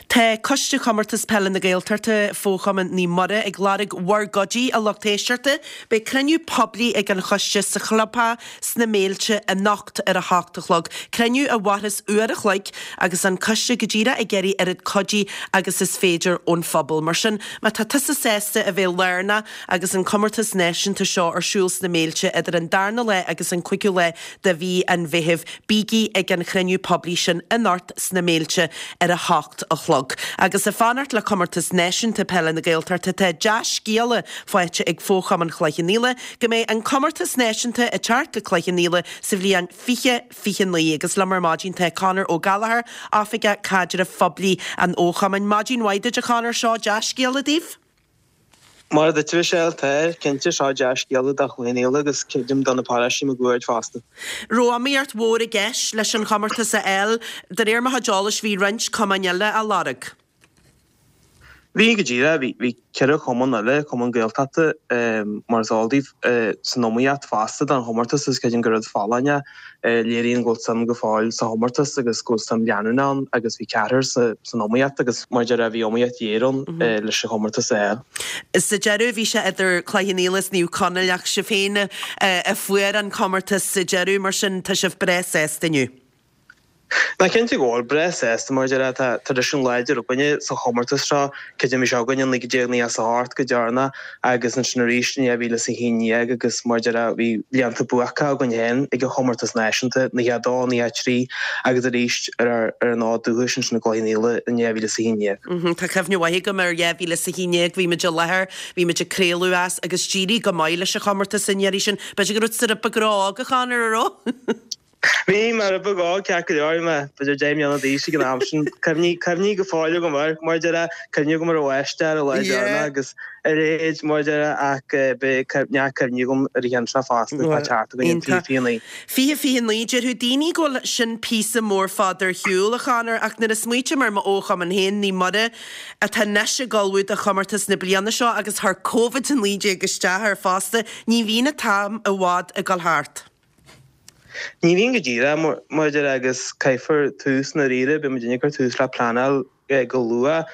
Tá Coiste Chomórtas Peile na Gaeltachta, Fo-Chumann Naomh Muire, ag lorg bhur gcuidí, a lucht éisteachta. Beidh cruinniú poiblí ag an choiste sa chlubtheach sna Méilte anocht ar a hocht a chlog. Cruinniú a mhairfeas uair a chloig agus an coiste go díreach ag iarraidh oiread cuidí agus is féidir ón phobal. Mar sin, má tá tusa sásta a bheith lárnach agus an comórtas náisiúnta seo ar siúl sna Méilte idir an darna lá agus an cúigiú lá de mhí an Mheithimh, bígí ag an chruinniú poiblí sin anocht sna Méilte ar a hocht a chlog. chlog. Agus ag fanacht le Comórtas Náisiúnta Peile na Gaeltachta tá dea-scéala faighte ag Fo-Chumann Chloich Cheann Fhaola go mbeidh an Comórtas Náisiúnta ag teacht go Cloich Cheann Fhaola sa bhliain fiche fiche naoi. Agus liom ar maidin tá Conor Ó Gallchóir, Oifigeach Caidrimh Phoiblí an Fho-Chumainn. Maidin mhaith duit a Chonor, seo dea-scéala daoibh? Mar a dúirt Michelle, tá, cinnte, seo dea-scéala do Chloich Cheann Fhaola agus creidim do na paráistí máguaird fosta. Raibh iomaíocht mhór i gceist leis an chomórtas a fháil. De réir mo chuid eolais bhí roinnt cumainn eile á lorg. Bhí, go díreach. Bhí, bhí ceithre chumann eile, cumann Gaeltachta, mar is eol daoibh, san iomaíocht fosta don chomórtas agus creidim gur rud folláin é. Léiríonn go bhfuil suim go fóill sa chomórtas agus go bhfuil suim leanúnach ann agus bhí ceathrar san iomaíocht agus mar a déarfá bhí iomaíocht ghéar ann leis an chomórtas a fháil. Sa deireadh bhí sé idir Cloich Cheann Fhaola is Naomh Conaill ach sibh féin a fuair an comórtas sa deireadh mar sin tá sibh breá sásta inniu. Ná cinnte go bhfuil, breá sásta mar a déarfá, tá traidisiún láidir againne sa chomórtas seo, creidim bhí sé againn in naoi déag nócha is a hocht go deireanach agus ansin arís in dhá mhíle is a haon déag agus mar a déarfá bhí blianta buacacha againn féin ag an chomórtas náisiúnta, nócha a dó, nócha a trí agus arís ar ár ar an fhód dúchais ansin i gCloich Cheann Fhaola in dhá mhíle is a haon déag. Tá cuimhne mhaith agam ar dhá mhíle is a haon déag, bhí muid i láthair, bhí muid ag craoladh as agus d'éirigh go maith leis an chomórtas an iarraidh sin. B'fhéidir go raibh tú rud beag ró-óg a Chonor, an raibh? Bhí mé rud beag óg, ceart go leor, bhí mé b'fhéidir deich mbliana d'aois ag an am sin. Cuimhní, cuimhní go fóill agam air, mar a déarfá, cuimhní agam ar an bháisteach ar an lá deireanach agus a leithéid, mar a déarfá, ach beidh neart cuimhní agam ar an cheann seo fosta, atá teacht againn in fiche fiche naoi. Fiche fiche naoi, déarfadh daoine go bhfuil sin píosa mór fada ar shiúl, a Chonor, ach nuair a smaoitím ar m'fhochumann féin, Naomh Muire, atá anois ag ullmhú do chomórtas na bliana seo agus chuir Covid a naoi déag isteach air fosta, ní bhíonn an t-am i bhfad ag dul thart. Ní bhíonn go díreach, mar a déarfá, agus caithfear tús i ndáiríre, beidh muidinne ag cur tús le pleanáil go luath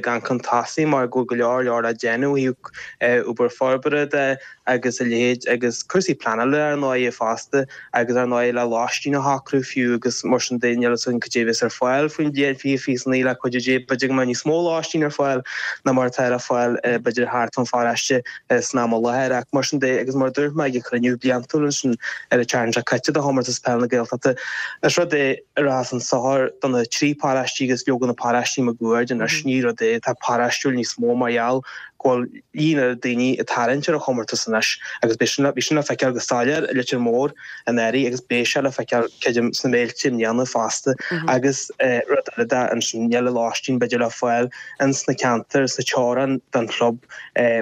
gan chun tosaigh mar go bhfuil go leor leor le déanamh ó thaobh obair forbartha de agus a leithéid agus cúrsaí pleanála ar ndóigh fosta agus ar ndóigh le lóistín a shocrú fiú agus mar sin de níl fhios againn cad é a bheas ar fáil faoin bhliain fiche fiche naoi le cuidiú Dé b'fhéidir go mbeidh níos mó lóistín ar fáil ná mar atá ar fáil b'fhéidir thart fán pharóiste san am i láthair ach mar sin de agus mar a dúirt mé ag an chruinniú bliantúil ansin ar an tseachtain seo caite de Chomórtas Peile na Gaeltachta is rud é a rachas chun sochair do na trí paráistí agus leoga na paráistí máguaird anois ní rud é atá paráistiúil níos mó mar gheall go bhfuil líon na daoine ag tarraingt ar an chomórtas anois agus beidh sin bhí sin le feiceáil go soiléir i Leitir Móir anuraidh agus beidh sé le feiceáil creidim sna Méilte i mbliana fosta agus rud eile de ansin níl an lóistín b'fhéidir le fáil ins na ceantair sna teorainn den chlub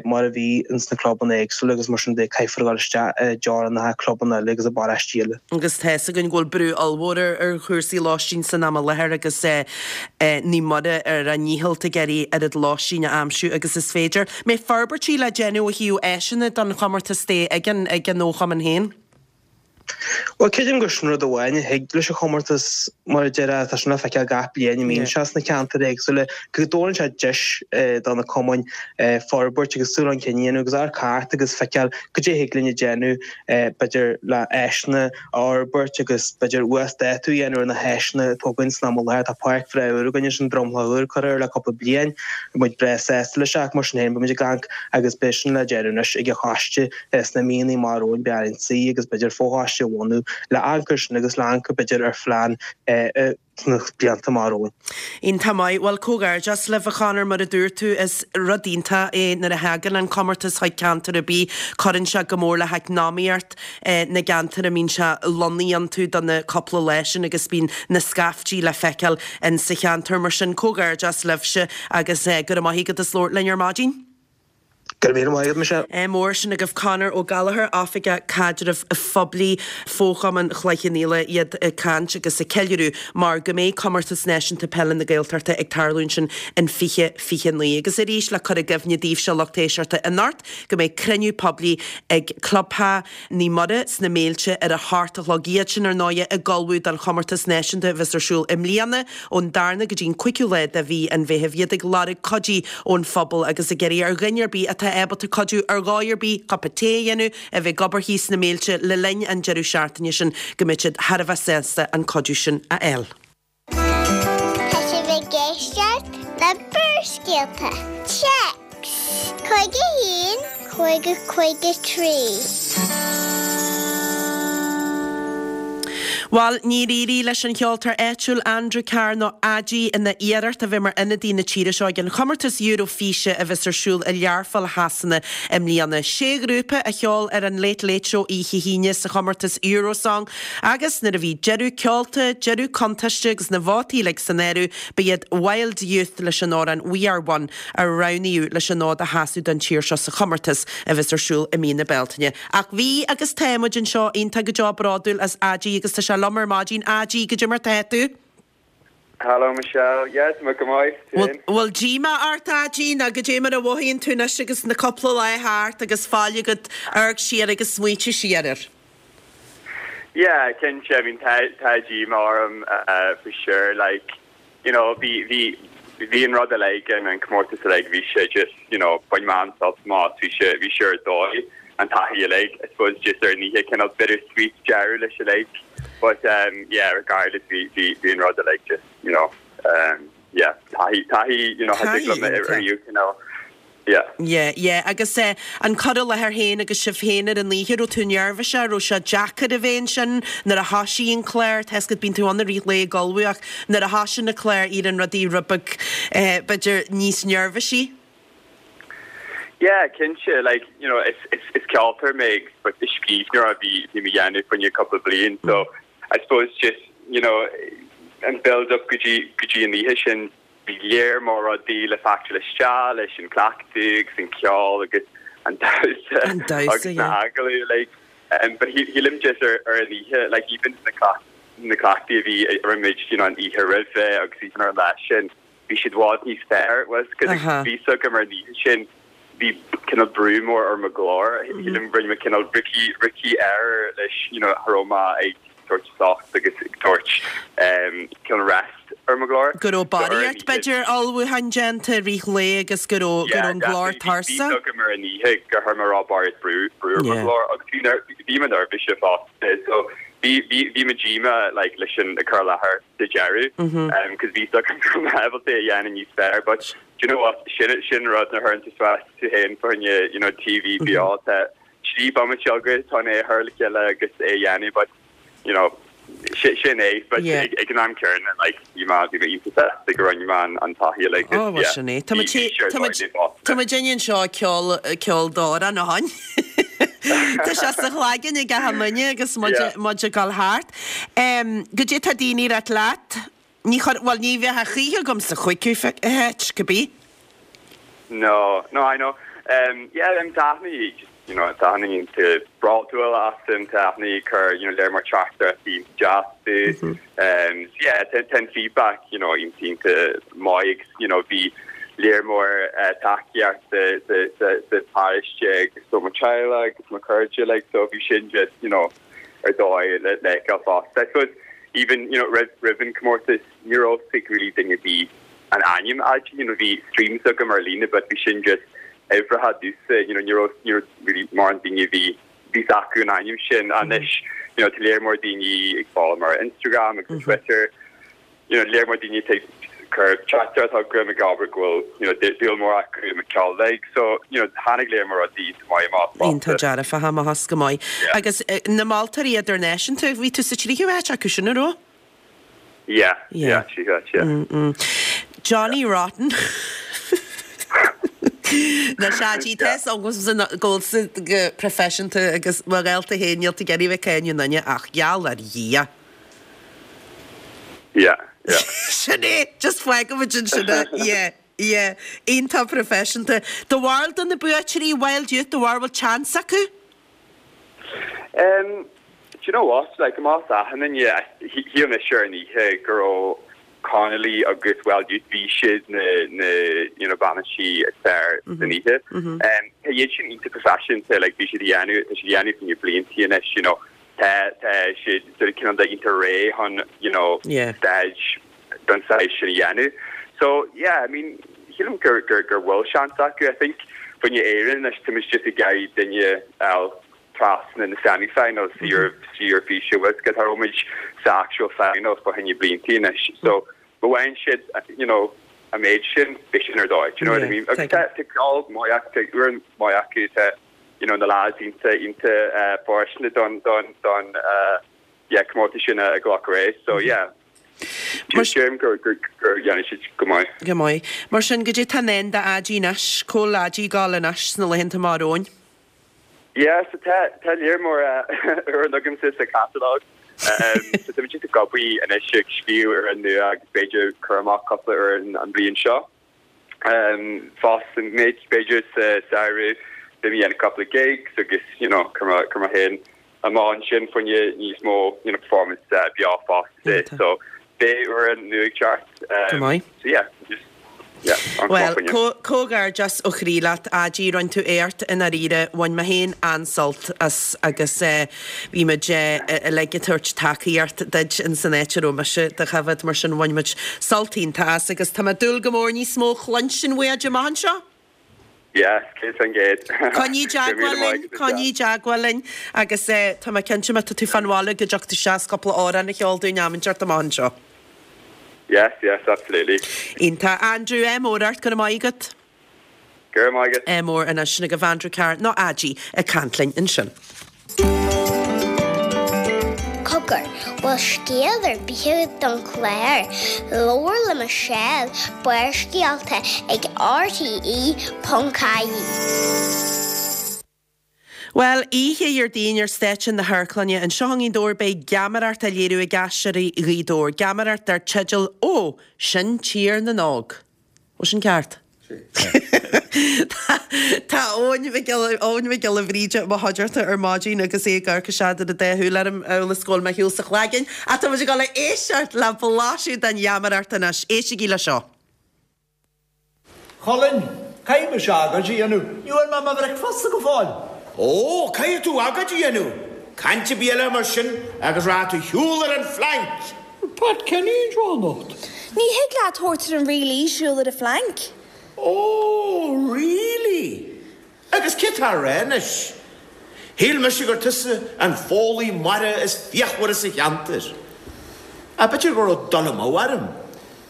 mar a bhí ins na clubanna éagsúla agus mar sin de caithfear a dhul isteach i dteorainneacha clubanna eile agus i bparáistí eile. Agus tá fhios againn go bhfuil brú ollmhór ar ar chúrsaí lóistín san am i láthair agus Naomh Muire ar a ndícheall ag iarraidh oiread lóistín a aimsiú agus is féidir. Mbeidh forbairtí le déanamh ó thaobh áiseanna don chomórtas de ag an ag an fhochumann féin? Bhuel, creidim gur sin rud amháin a thig leis an chomórtas, mar a déarfá, tá sin le feiceáil gach bliain a mbíonn sé sna ceantair éagsúla, go dtabharann sé deis do na cumainn forbairt agus súil chun cinn a dhéanamh agus amharc thart agus feiceáil cad é a thig linn a dhéanamh, b'fhéidir le áiseanna a fhorbairt agus b'fhéidir uasdátú a dhéanamh ar na háiseanna atá againn san am i láthair. Tá páirc bhreá úr againn ansin, dromchla úr curtha air le cúpla bliain, tá muid breá sásta leis ach mar sin féin beidh muid ag amharc agus beidh sin le déanamh anois ag an choiste sna míonna amach romhainn, beidh orainn suí agus b'fhéidir fochoiste a bhunú le amharc air sin agus le amharc b'fhéidir ar phlean sna blianta amach romhainn. Iontach maith. Bhuel, comhghairdeas libh, a Chonor, mar a dúirt tú, is rud iontach é nuair a thagann an comórtas chuig ceantar ar bith, cuireann sé go mór le heacnamaíocht na gceantar a mbíonn sé lonnaithe iontu do na cúpla lá sin agus bíonn na scaiftí le feiceáil in sa cheantar. Mar sin, comhghairdeas libhse agus go raibh maith agat as labhairt linn ar maidin. Go raibh míle maith agat, Michelle. Mór sin agaibh Conor Ó Gallchóir, Oifigeach Caidrimh Phoiblí, Fo-Chumann Chloich Cheann Fhaola, iad ag caint agus ag ceiliúradh mar go mbeidh Comórtas Náisiúnta Peile na Gaeltachta ag tarlú ansin in fiche fiche naoi. Agus arís le cur i gcuimhne daoibhse lucht éisteachta anocht go mbeidh cruinniú poiblí ag Clubtheach Naomh Muire sna Méilte ar a hocht a chlog. Iad sin ar ndóighe ag ullmhú don chomórtas náisiúnta a bheas ar siúl i mbliana ón darna go dtí an cúigiú lá de mhí an Mheithimh. Iad ag lorg cuidí ón phobal agus ag iarraidh ar dhuine ar bith atá ábalta cuidiú ar dhóigh ar bith, cupa tae a dhéanamh, a bheith ag obair thíos sna Méilte le linn an deireadh seachtaine sin go mbeidh siad thar a bheith sásta an cuidiú sin a fháil. Tá sibh ag éisteacht le Barrscéalta. Téacs cúig a haon, cúig a cúig a trí. Bhuel, níor éirigh leis an cheoltóir áitiúil Andrew Carr nó Adi ina iarracht a bheith mar ionadaí na tíre seo ag an chomórtas Eurofíse a bheas ar siúl i Learpholl Shasana i mbliana. Sé ghrúpa a cheol ar an Late Late Show oíche hAoine sa chomórtas Eurosong agus nuair a bhí deireadh ceolta, deireadh cuntaiste agus na vótaí uilig san áireamh, ba iad Wild Youth leis an amhrán We Are One a roghnaíodh leis an fhód a sheasamh don tír seo sa chomórtas a bheas ar siúl i mí na Bealtaine. Ach bhí agus tá muid anseo iontach go deo bródúil as Adi agus tá sé liom ar maidin Adi goidé mar tá tú. Hello Michelle. Yes, tá go maith. Bhfuil díomá ort Adi nó goidé mar a mhothaíonn tú anois agus na cúpla lá thart agus fáil agat amharc siar agus smaointiú siar air. Yeah, cinnte I mean tá tá díomá orm uh, for sure like you know bhí bhí bhí an rud like an an comórtas like bhí sé just you know bhain mé an-sult as bhí sé bhí sé ar dóigh an taithí like I suppose just ar an oíche kind of bittersweet deireadh leis like but um yeah regardless bhí bhí bhí an rud like just you know um yeah taithí taithí you know Taithí ar you you know yeah Yeah, yeah, agus eh, an cur i láthair féin agus sibh féin ar an oíche raibh tú neirbhíseach raibh sé deacair a bheith ansin nuair a thosaigh an clár tá 'fhios agat bíonn tú ann i rith lae ag ullmhú ach nuair a thosaigh na clár éiríonn rudaí rud beag eh, b'fhéidir níos neirbhísí. Yeah, cinnte like you know it's it's it's ceoltóir mé but is scríbhneoir a bhí bhí mé ag déanamh faoi couple bliain so I suppose just you know an build up go dtí go dtí an oíche sin bhí léir mór rudaí le factor isteach leis an cleachtadh agus an ceol agus an damhsa An damhsa, agus na yeah. agallaimh like um, but he shílim just ar ar an oíche like even na cleacht na cleachtaí a bhí a muid you know an oíche roimhe agus even ar an lá sin bhí siad i bhfad níos fearr was cos Aha. bhí so go mar an oíche sin bhí cineál brú mór ar mo ghlór shílim rinne mé cineál rookie rookie error leis you know aroma ag tabhairt socht agus ag tabhairt um cineál rest ar mo ghlór Go raibh So ar an barraíocht oíche- b'fhéidir ullmhúchán déanta rith lae agus go raibh go raibh an glór tuirseach. go mar an oíche gur chuir mé rá barraíocht brú brú ar mo Yeah. ghlór agus bhí ner- bhí mé neirbhíseach fosta so bhí bhí bhí mé díomách like leis an a cur i láthair sa deireadh Mhm. um cos bhí so go able a dhéanamh níos fearr but do you know what sin sin rud na thurann tú tú héin foine you know TV beo tá trí bomaite agat tá é thir le chéile agus é a dhéanamh but you know sin sin é but Yeah. ag ag an am céanna like bhí mé bhí mé iontach go raibh mé an an taithí like Ó oh, sin é. Tá Tá déan seo ceol ceol dóra na hain. Tá sé sa chlaigean ag a muine agus muid ag dul thart. Goidé tá daoine ag rá leat? Ní chur well ní bheith a choíche gom sa chuiú het go bí? No, no, I know. Um, yeah, I'm definitely just you know, definitely to bródúil asam definitely cur you know leir mar tractor tí just um so yeah tá tá feedback you know iontach maith you know bhí lear mór uh, tacaíocht the the the the paróiste agus so mo theaghlach agus mo chairde like so bhí sin just you know ar dóigh le le fásta. I suppose even you know roimh roimh an comórtas ní raibh really duine bhí an ainm Adi you know bhí streams agam ar líne but bhí sin just uimhreacha dúsa you know ní raibh ní raibh really mar an daoine bhí bhí acu an ainm sin anois you know tá lear mór daoine ag fáil mar Instagram agus Twitter you know lear mór daoine ag cur chat tá gram ag abair go bhfuil you know dúil mór acu i ceol like so you know tháinig lear mór rudaí maith amach Iontach dearfa amach go maith. Agus eh, na moltóirí idirnáisiúnta bhí tú sa tríú háit acu sin an raibh? yeah yeah sí yeah Mm -mm. Johnny Rotten. Na seí tes agus go go proifisiúnta agus mar réalta héníl a geirí bheith céine nunne ach geall ar Dhia. yeah yeah Sin é just fágfaimid sin yeah. Yeah, iontach proifisiúnta. Do bharúil do na buaiteoirí Wild Youth do bharúil bhfuil chance acu? Um, do you know what? Like más ahanan yeah, shíl mé sure an oíche go raibh Connolly agus Wild Youth bhí siad na na you know bannaí is fearr san oíche. Um, tá iad sin iontach proifisiúnta like bhí siad ag déanamh tá siad ag déanamh faoi blianta anois you know tá tá siad sort of cineál de iontach réidh chun you know Yeah. stage don size sin a dhéanamh. So yeah, I mean sílim gur gur gur bhfuil seans acu I think faoin Éirinn leis tá just ag iarraidh duine eil trasna na semi-finals mm -hmm. Eurofíse was go raibh sa actual finals fá choinne blianta anois. So but when siad you know a méid sin beidh sin ar dóigh, you know what I mean? Agus tá tá ceol maith tá uan maith acu tá you know na lads iontach iontach uh, fóirsteanach don don don uh, yeah comórtas sin a ghlacadh é so yeah Deirim gur gur gur dhéanfaidh siad go maith. Go maith. Mar sin goidé tá i ndán d'Aidí anois, cá bhfuil Aidí ag gabháil anois sna laethanta amach romhainn? Yeah so tá tá lear mór amhrán agamsa sa catalog. Um, so tá muid ag obair anois ag scríobh amhrán nua agus b'fhéidir cur amach cúpla amhrán an bhliain seo. Um, fosta b'fhéidir sa samhradh beidh mé ag déanamh cúpla gigs agus you know cur mé cur mé féin amach ansin fá choinne níos mó you know performance uh, beo fosta. So beidh amhrán nua ag teacht. Go Um, maith. so yeah, just yeah, an Well, fáinne. comhghairdeas ó chroí leat Aidí rinne tú éacht i ndáiríre bhain mé féin an-sult as agus eh, bhí muid eh, uilig ag tabhairt tacaíocht duit in san áit a raibh mise do choimhéad mar sin bhain muid sult iontach as agus tá mé ag dúil go mór níos mó cluinstin uait amach anseo. Yes, céad faoin gcéad. Coinnigh i dteagmháil linn, coinnigh i dteagmháil linn agus eh, tá mé cinnte má tá tú fán bhaile go dtiocfaidh tú isteach cúpla amhrán a cheol dúinn am inteacht amach anseo. Yes, yes, absolutely. Iontach Andrew ádh mór ort go raibh maith agat. Go raibh maith agat. Ádh mór anois sin agaibh Andrew Carr nó Aidí ag caint linn ansin. Cogar, bhfuil scéal ar bith don chlár, Labhair le Michelle, Barrscéalta ag RTE.ie. Well, oíche Dhéardaoin ar stáitse na hamharclainne anseo i nGaoth Dobhair beidh geamaireacht á léiriú ag Aisteoirí Ghaoth Dobhair. Geamaireacht dar teideal ó sin Tír na nÓg. Ó sin ceart. Tá Eoin Mhic Giolla Bhríde mo chuideachta ar maidin agus é ag amharc isteach ar a dá shúil orm amhail is go bhfuil mé thall sa chloigeann, ach tá muid ag dul a éisteacht le blaiseadh den gheamaireacht anois. Éistigí le seo. Colin, caithfidh mise agóid a dhéanamh, ní bhfuair mé mo bhricfeasta go fóill. Ó, caithfidh tú agóid a dhéanamh. Caint ar bith eile mar sin agus rachaidh tú ar shiúl ar an phlanc. Pat Kenny anseo anocht. Ní thig leat tabhairt ar an really siúl ar an phlanc. Ó, really? Agus cé tá anois? Shíl mise gur tusa an foghlaí mara is fíochmhaire sa cheantar. Ach b'fhéidir go raibh dul amú orm.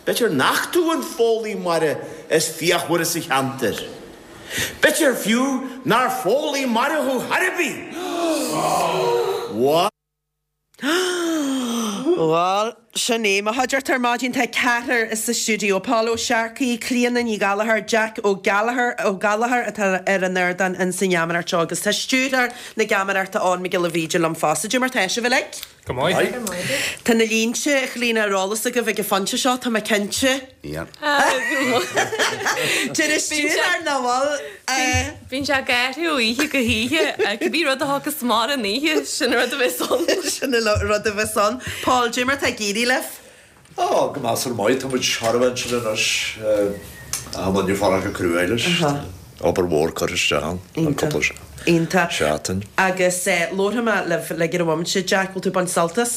B'fhéidir nach tú an foghlaí mara is fíochmhaire sa cheantar. B'fhéidir fiú nár foghlaí mara thú ar bith. What? Well, sin é mo chuideachta ar maidin tá ceathrar sa stiúideo Paul Ó Searcaigh, Clíona Ní Gallchóir, Jack Ó Gallchóir Ó Gallchóir atá ar an ardán in san gheamaireacht seo agus tá stiúrthóir na geamaireachta Eoin Mac Giolla Bhríde liom fosta. Cad é mar tá sibh uilig? Go maith. Tá na línte Clíona ar eolas agaibh ag an phointe seo tá mé cinnte. Deir stiúrthóir nach bhfuil Bíonn sé ag athrú oíche go hoíche cibé rud a thagas mar an oíche sin rud a bheas ann. Sin rud a bheas ann. Paul cad é mar tá ag éirí libh? Á go measartha maith tá muid thar sin anois an fara go cruéis obair mhór curtha isteach cúpla Iontach. seachtain. Agus labharfaidh mé libh le go bhfuil sé Jack bhfuil tú ag baint sult as?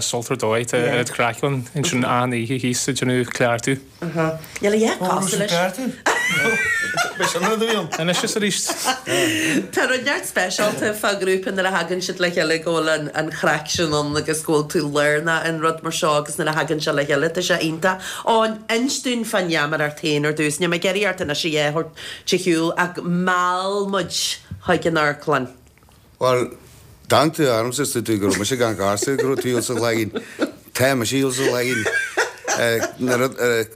Sult ar dóigh tá craic ann sin an oíche thíos sa déanamh cleachtadh. Níl a dhath cosúil leis. Anois is arís. Tá rud neart speisialta fá ghrúpa nuair a thagann siad le chéile go bhfuil an, an chraic sin ann agus go bhfuil tú lárnach in rud mar seo agus nuair a thagann sé le chéile tá sé iontach. Ó inis dúinn fán gheamaireacht féin ar dtús, Níl mé ag iarraidh ort anois a dhéanamh te shiúl ach mheall muid chuig an amharclann. Well, Dan tú armsa tú go me gan garsa go tú sa lein Tá me sí sa lein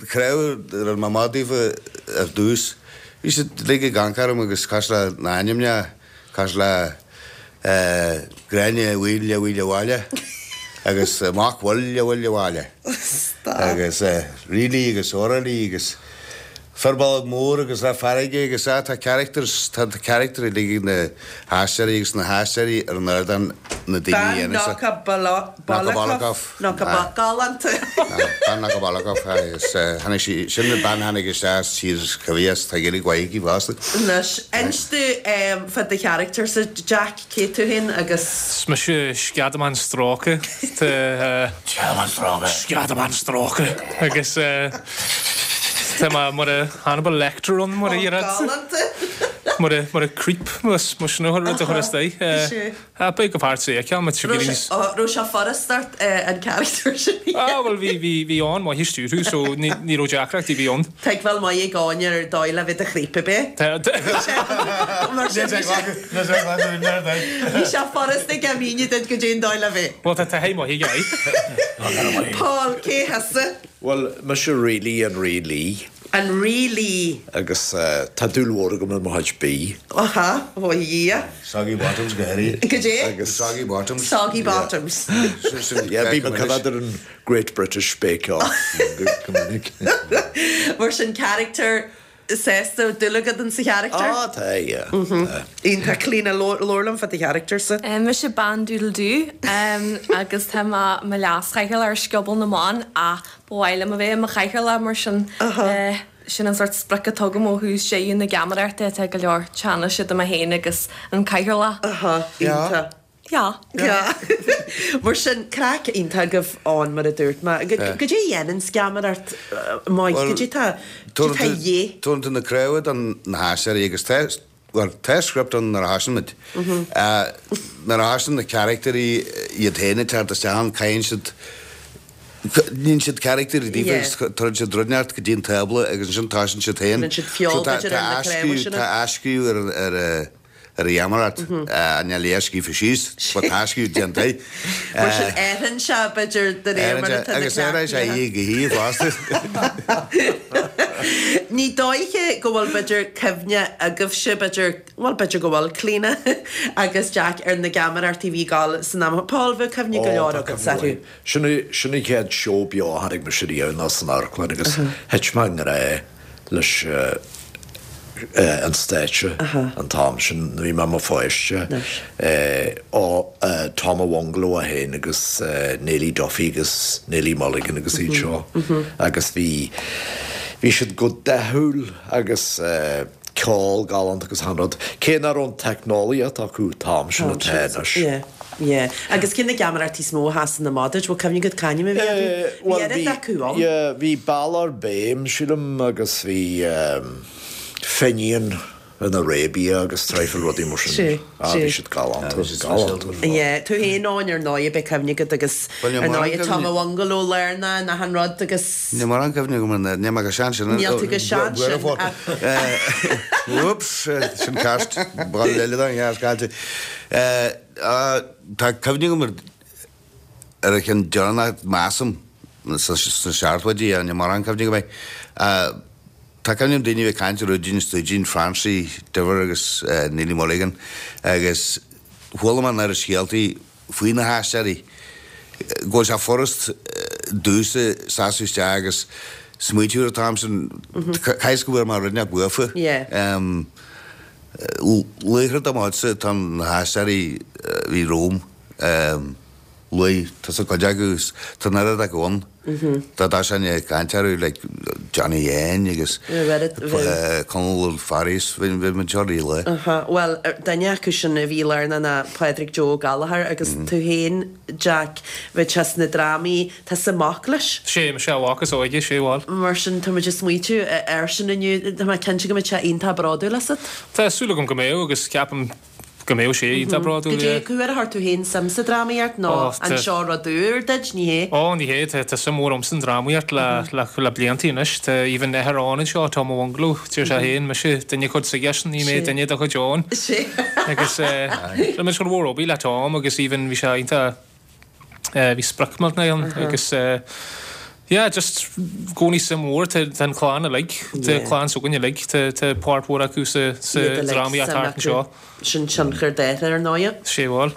cre ma madífa ar dús. Bhí sé le gankarm agus cas le náimne cas le Gráinne bhfuile bhfuile bhaile agus amach bhfuile bhfuile bhaile. Agus rilí agus oralí agus Ferbal mór agus le farraige agus tá characters tá character lig na haisteoirí agus na haisteoirí ar an ardán na daoine Ben Naka Balakov Naka Galanta. Ben Naka Balakov agus tháinig sí sin na bean tháinig isteach tír choimhíos tá géirí gcuicí bhasta. Anois inis dúinn fá do character sa Jack cé tú féin agus Is mise Sceadamán Stróice Sceadamán Stróice. Sceadamán Stróice agus Tá mar a Hannibal Lecter ann mar a dhéarfá. Galanta. mar a mar a creep mar sin a rud a chur isteach. Beidh go páirt é ceann mat Raibh sé furasta an character sin. Ah bhuel bhí bhí bhí ann maith a stiúrú so ní ní raibh deacrachtaí bhí ann. Tuigbheáil maith ag Áine ar dóigh le bheith i do chreep ab ea? Mar sin bhí sé Bhí sé furasta aige míniú duit goidé an dóigh le bheith. Bhuel tá taithí maith aige aye. Paul, cé thusa? Bhuel mise Rí an Rí Lee. An Rí Lee. Agus tá dúil mhór agam i mo chuid bídh. Aha, ó a Dhia. Soggy bottoms go háirithe. Goidé? Agus soggy bottoms. Soggy bottoms. Yeah, bím ag coimeád ar an Great British Bake Off go minic. Mar sin character sásta, dúil agat in sa character? Ah, tá, yeah. Iontach. Clíona, labhair liom fá do character-sa. Mise Bean Doodle Doo agus tá mé i mo leaschathaoirleach ar Scioból na mBan ach ba mhaith liom a bheith i mo chathaoirleach mar sin sin an sórt sprioc atá agam ó thús deireadh na geamaireachta tá go leor teannais idir mé féin agus an cathaoirleach. Iontach. Yeah. Yeah. Mar sin, craic iontach agaibh ann, mar a dúirt mé. Goidé a dhéanann geamaireacht maith? Goidé tá de dhíth? Tugann tú na cnámha do na haisteoirí agus tá, bhuel, tá script ann nuair a thosaíonn muid. Nuair a thosaíonn na carachtairí iad féin ag teacht isteach ann, caitheann siad, níonn siad carachtair daofa agus tugann siad rud inteacht go dtí an tábla agus ansin tosaíonn siad féin. Cuireann siad feoil, b'fhéidir, ar na cnámha sin. Tá athscríobh ar ar ar an gheamaireacht, níl a scríofa síos, but tá athscríobh déanta. Mar sin athraíonn sé, b'fhéidir, de réir mar atá na Agus athraíonn sé oíche go hoíche fosta. Ní dóiche go bhfuil, b'fhéidir, cuimhne agaibhse, b'fhéidir, bhuel, b'fhéidir go bhfuil, Clíona agus Jack ar na geamaireachtaí a bhí ag gabháil san am. Paul, bheadh cuimhne go leor agatsa orthu. Sin an chéad seó beo a chonaic mise riamh ná san amharclann agus thit mé i ngrá leis an stáitse an t-am sin, bhí mé i mo pháiste, ó Tom a' Bhungalow é féin agus Neilí Duffy agus Neilí Mulligan agus iad seo agus bhí, bhí siad go dathúil agus ceol galánta agus achan rud, cé nach raibh an teicneolaíocht acu an t-am sin atá anois. Yeah. Agus cé na geamaireachtaí is mó a sheasann amach duit? Bhfuil cuimhne agat c'ainm a bhí orthu? Bhí oiread acu ann. Yeah, bhí Balor Béim, sílim, agus bhí Finian in Arabia agus traidhfil rudaí mar sin. Sea, Ah, sea. bhí siad galánta, galánta. Yeah, tú féin ann ar ndóigh, beidh cuimhne agat agus Bhuel, níl ar mórán ndóigh cuimhne. Tom a' Bhungalow lárnach in achan rud agus. Níl mórán cuimhne agam ar na, níl mé go sean sin. Níl tú go sean sin ach. Whoops, sin ceist, ball eile don ghearr caite. Tá cuimhne agam ar an cheann deireanach, measaim, sna seachtóidí, níl mórán cuimhne agam air. Tá cuimhne agam daoine a bhí ag caint ar Rúidín Stúidín, Francie Diver agus Neilí Mulligan agus chuala mé an oiread scéaltaí faoi na haisteoirí go bhfuil sé furast domhsa seasamh isteach agus smaoitiú ar an t-am sin, caithfidh go bhfuair mé rud inteacht uafa. Laochra de mo chuidse atá na haisteoirí a bhí romham. Luaigh tusa cuid acu agus tá an oiread acu ann. Dá dtosóinn ag caint orthu like Johnny Sheáin agus Conall Ó Fearghusa, bhí muid anseo rí-lá. Bhuel, duine acu sin a bhí lárnach ná Pádraig Joe Ó Gallchóir agus tú féin, Jack, bhí tú sna drámaí, tusa mac leis. Sé, mise a mhac is óige, sé, bhuel. Mar sin, tá muid ag smaoitiú air sin inniu, tá mé cinnte go mbeidh sé iontach bródúil asat. Tá súil agam go mbeidh agus ceapaim go mbeadh sé iontach bródúil, Goidé yeah. cá huair a chuir tú féin suim sa drámaíocht nó Ó, an tá. seo rud úr duit? Ní hé. Ó, ní hé, tá, tá suim mhór a'msa sa drámaíocht le, le, le bliantaí anois. Tá even athair Eoin anseo, Tom a' Bhungalow, deir sé féin, mise duine chuid s'aigesean, ní mé Sé. duine de chuid Eoin. Sé. Agus eh, le muid chun mhór obair le Tom agus even bhí sé iontach, eh, bhí sprioc millteanach ann agus eh, yeah, just i gcónaí suim mhór, tá, tá an chlann uilig, tá Yeah. clann s'againn uilig, tá, tá páirt mhór acu sa, sa Iad uilig, drámaíocht suim thart acu. anseo. Sin tionchar dóiche ar ndóighe. Sé bhuel.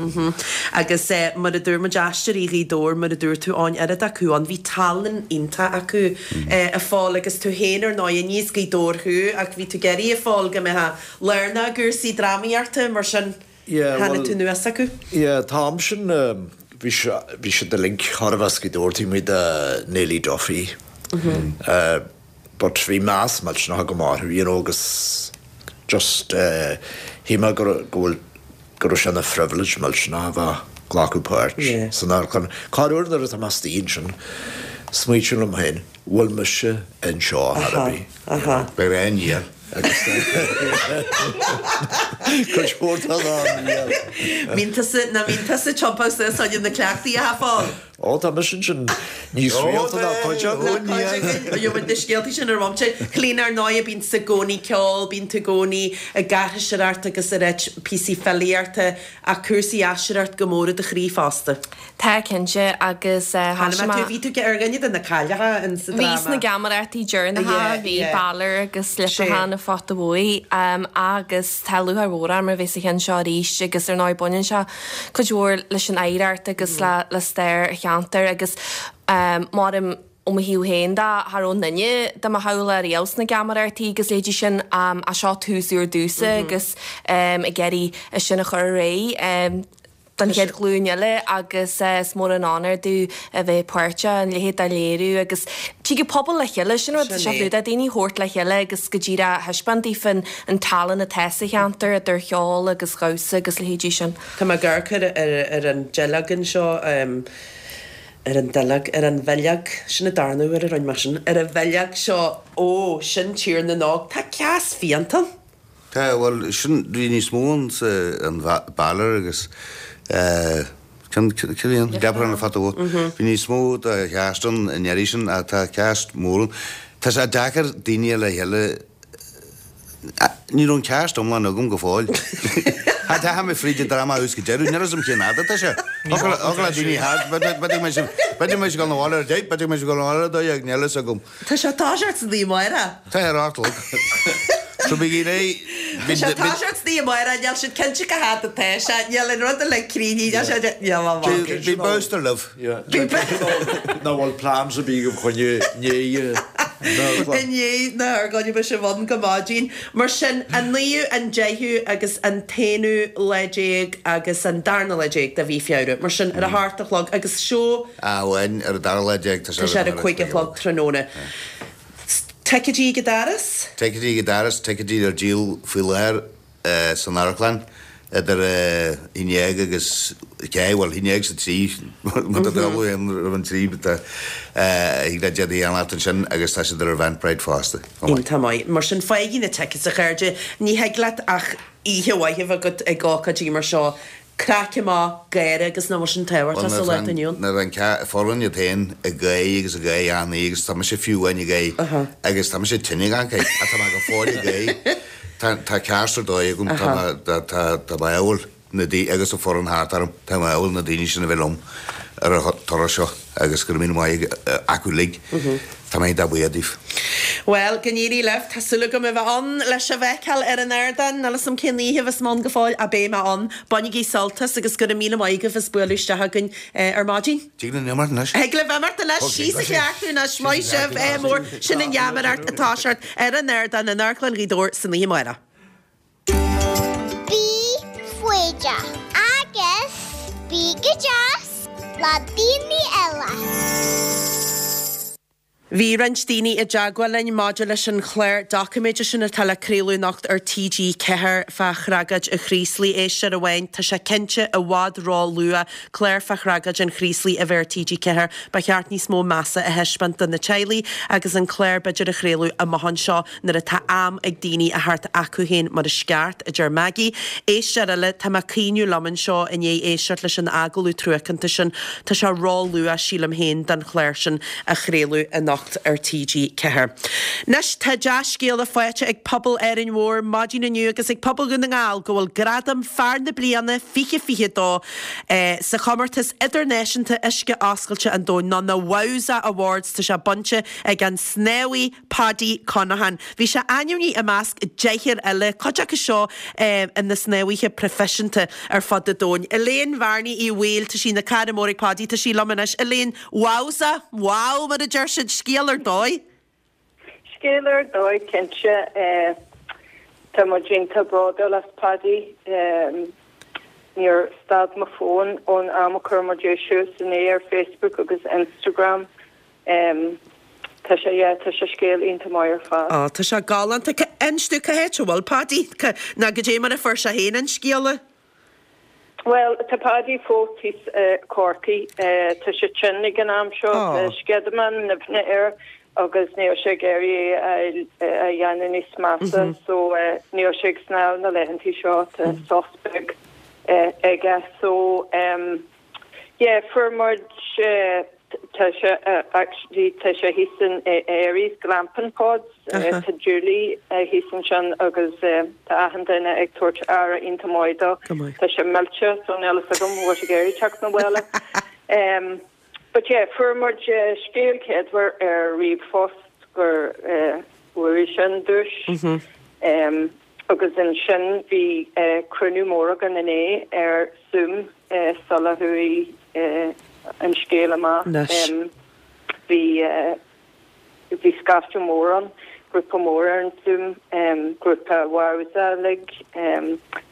Agus eh, mar a dúirt muid Aisteoirí Ghaoth Dobhair, mar a dúirt tú Eoin, oiread acu ann, bhí tallann iontach acu eh, a Phóil agus tú féin ar ndóighe, ní as Gaoth Dobhair thú ach bhí tú ag iarraidh a Phóil go mbeifeá lárnach i gcúrsaí drámaíochta mar sin Yeah, tháinig well- tú anuas acu. Yeah, an t-am sin bhí sé, bhí siad uilig thar a bheith as Gaoth Dobhair taobh amuigh de Neilí Duffy. Uh, but bhí meas millteanach agam orthu, you know, agus just uh, shíl mé go raibh- go bhfuil go raibh sé ina phrivilege millteanach a bheith ag glacadh páirt Yeah. san amharclann. Corruair nuair atá mé istigh ansin, smaoiním liom féin, bhfuil mise anseo ar bith. Aha. Beidh aon dhia. Agus cuid mhór den am níl. Bíonn tusa, ná bíonn tusa tiompaithe suas chun na cleachtaí a fáil. Ó tá mise ansin níos rialta ná cuid acu. Gheobhaidh na scéaltaí sin ar bhomaite. Clíona, ar ndóigh, bíonn tú i gcónaí ag ceol, bíonn tú i gcónaí ag aithriseoireacht agus ag ráit píosaí filíochta ach cúrsaí aisteoireacht go mór i do chroí fosta. Tá, cinnte, agus Chonaic mé tú, bhí tú ar dhuine de na cailleacha in sa Bhí dráma. sna geamaireachtaí deireanacha, bhí Balor agus Leipreachán an Phota Bhuí agus tá lúcháir mhór orm a bheith sa cheann seo arís agus ar ndóigh baineann sé cuid mhór leis an oidhreacht agus le le stair an cheantair agus mothaím ó mo thaobh féin de, cha raibh aon duine de mo theaghlach riamh sna geamaireachtaí agus leithéidí sin ach seo tús úr domhsa agus ag iarraidh é sin a chur ar aghaidh don chéad ghlúin eile agus is mór an onóir domh a bheith páirteach in a leithéid de léiriú agus tig an pobal le chéile, sin rud atá sé fiú, daoine a thabhairt le chéile agus go díreach a thaispeáint daofa an tallann atá sa cheantar idir cheol agus dhamhsa agus leithéidí sin. Tá mé ag amharc ar an duilleog anseo, ar an duilleog, ar an bhileog, sin an darna huair a rinne mé sin, ar an bhileog seo, ó, sin Tír na nÓg, tá cleas fiánta ann. Tá, bhuel, sin, bhí níos mó ann sa, an Balor agus eh, cén, cé bhí ann? Leprechaun an Phota Bhuí. Bhí níos mó de chast ann an iarraidh sin ach tá cast mór ann. Tá sé deacair daoine le chéile, ní raibh an cast iomlán agam go fóill. Tá mé fríd an dráma ó thús go deireadh, níl a fhios agam cén fhad atá sé. Thiocfadh le daoine thart, b'fhéidir go mbeidh b'fhéidir go mbeidh sé ag dul 'na bhaile ar a deich, b'fhéidir go mbeidh sé ag dul 'na bhaile ar a dó dhéag, níl a fhios agam. Tá sé ag toiseacht san oíche amárach. Tá ar a hocht a chlog. So bígí réidh. Tá sé ag toiseacht san oíche amárach, níl siad cinnte cá fhad atá sé, níl an rud uilig cruinn, níl sé, níl mé mhaith. Bhí booster libh. Nach bhfuil plans ar bith agaibh choinne inné. I ndiaidh na hargóine beidh sibh ann go maidin. Mar sin, an naoú, an deichiú agus an t-aonú lá déag agus an darna lá déag de mhí Feabhra. Mar sin, ar a hocht a chlog agus seó. Amháin ar an dara lá déag, tá sé ar a cúig a chlog tráthnóna. Ticéidí ag an doras? Ticéidí ag an doras, ticéidí ar díol faoi láthair san amharclann idir a haon déag agus a ceathair, bhuel, a haon déag is a trí, má tá tú ann roimh an trí, but thig leat iad a cheannacht ansin agus tá siad ar Eventbrite fosta. Iontach maith. Mar sin, faighigí na tickets, a chairde. Ní thig leat ach oíche mhaith a bheith agat ag ócáidí mar seo. Craic amach, gáire agus nach bhfuil sin tábhachtach sa lá atá inniu ann. Nuair an foireann iad féin ag gáire agus ag gáire achan oíche agus tá mise fiú amháin ag gáire agus tá mise tinn ag an gáire ach tá mé go fóill ag gáire. Tá tá cast ar dóigh agam, tá mé tá tá tá mé ádhúil na daoine agus an foireann thart orm, tá mé ádhúil na daoine sin a bheith liom ar an turas seo agus go raibh míle maith acu uilig. Tá mé iontach buíoch díobh. Bhuel, go n-éirí libh. Tá súil agam a bheith ann le sibh a fheiceáil ar an ardán. Níl 'fhios a'm cén oíche a bheas mé ann go fóill, ach beidh mé ann. Bainigí sult as agus go raibh míle maith agaibh as bualadh isteach againn ar maidin. Tig linn imeacht anois. Thig libh imeacht anois. Síos a chleachtadh anois. Maith sibh. Ádh mór. Sin an gheamaireacht ag toiseacht ar an ardán in Amharclann Ghaoth Dobhair san oíche amárach. Bí foighdeach agus bí go deas le daoine eile. Bhí roinnt daoine i dteagmháil linn maidir leis an chlár doiciméide sin atá le craoladh anocht ar T G ceathair fá thragóid an Chraoslaigh. Éisteoir amháin, tá sé cinnte i bhfad ró-luath clár fá thragóid an Chraoslaigh a bheith ar T G ceathair. Ba cheart níos mó measa a thaispeáint do na teaghlaigh agus an clár b'fhéidir a chraoladh amach anseo nuair atá am ag daoine a theacht acu féin mar is ceart, a deir Maggie. Éisteoir eile, tá mé ag caoineadh liom anseo i ndiaidh éisteacht leis an agallamh truacánta sin. Tá sé ró-luath, sílim féin, don chlár sin a chraoladh anocht ar T G ceathair. Anois tá dea-scéala faighte ag pobal Árainn Mhór maidin inniu agus ag pobal Dhún na nGall go bhfuil gradam Fear na Bliana fiche fiche dó sa chomórtas idirnáisiúnta Uisce Oscailte an Domhain, nó na Wowza Awards, tá sé bainte ag an snámhaí Paddy Conaghan. Bhí sé ainmnithe i measc deichniúr eile, cuid acu seo ina snámhaithe proifisiúnta ar fud an domhain. Elaine Bhearnaí Uí Bhaoill, tá sí ina cara mór ag Paddy, tá sí liom anois. Elaine, Wowza, wow mar a deir siad, scéal ar dóigh! Scéal ar dóigh, cinnte. Tá muid iontach bródúil as Paddy. Níor stad mo fón ón am a chuir muid é suas inné ar Facebook agus Instagram. Tá sé, yeah, tá sé scéal iontach maith ar fad. Á, tá sé galánta. Inis domh cá háit a bhfuil Paddy? Nó goidé mar a fuair sé féin an scéala? Bhuel, tá Paddy fós thíos i Corcaigh. Tá sé tinn ag an am seo. Tá sceideamán nimhne air. agus níl sé ag iarraidh é a dhéanamh níos measa so níl sé ag snámh na laethantaí seo tá sos beag aige so yeah fuair muid tá sé actually tá sé thíos in Aries Glamping Pods tá Julie thíos ansin agus tá achan duine ag tabhairt aire iontach maith dó tá sé millte so níl a fhios agam bhfuil sé ag iarraidh teacht na bhaile. But yeah, fuair muid scéal céadmhar ar ríomhphost gur bhuaigh sé an duais. Agus ansin bhí cruinniú mór againn inné ar Zoom sula chuaigh an scéal amach. Bhí Bhí scaifte mór ann, grúpa mór ar an Zoom, grúpa Wowza uilig,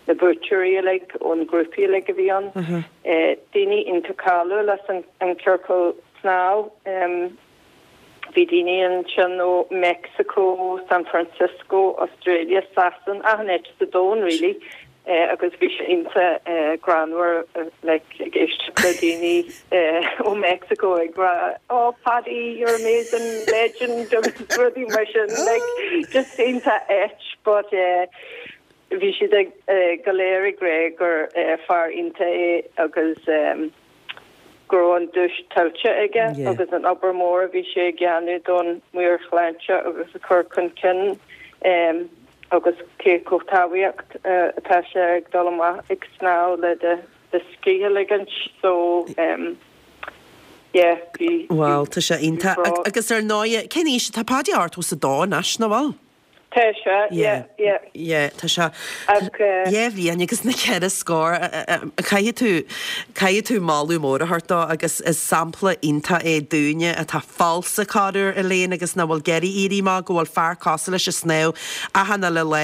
na buaiteoirí uilig ón ngrúpaí uilig a bhí ann, daoine iontach cáiliúil as an ciorcal snámh. Bhí daoine ansin ó Mexico, San Francisco, Australia, Sasana, achan áit sa domhan really. Agus bhí sé iontach greannmhar like ag éisteacht le daoine ó Mexico ag rá oh Paddy you're amazing legend agus rudaí mar sin like just iontach ait but bhí siad ag go léir ag rá gur fear iontach é agus go raibh an duais tuillte aige agus an obair mhór a bhí sé ag déanamh don meabhairshláinte agus a chur chun cinn. Agus cé chomh tábhachtach atá sé ag dul amach ag snámh le do do scíth a ligint so yeah bhí Bhuel tá sé iontach agus ar ndóigh cén aois atá Paddy ochtó is a dó anois nach bhfuil? Tá sé yeah yeah. Yeah tá sé dhá bhliain agus na ceithre scór caithfidh tú caithfidh tú moladh mór a thabhairt dó agus is sampla iontach é dúinne atá falsa corruair Elaine agus nach bhfuil ag iarraidh éirí amach go bhfuil fear cosúil leis ag snámh achan uile lá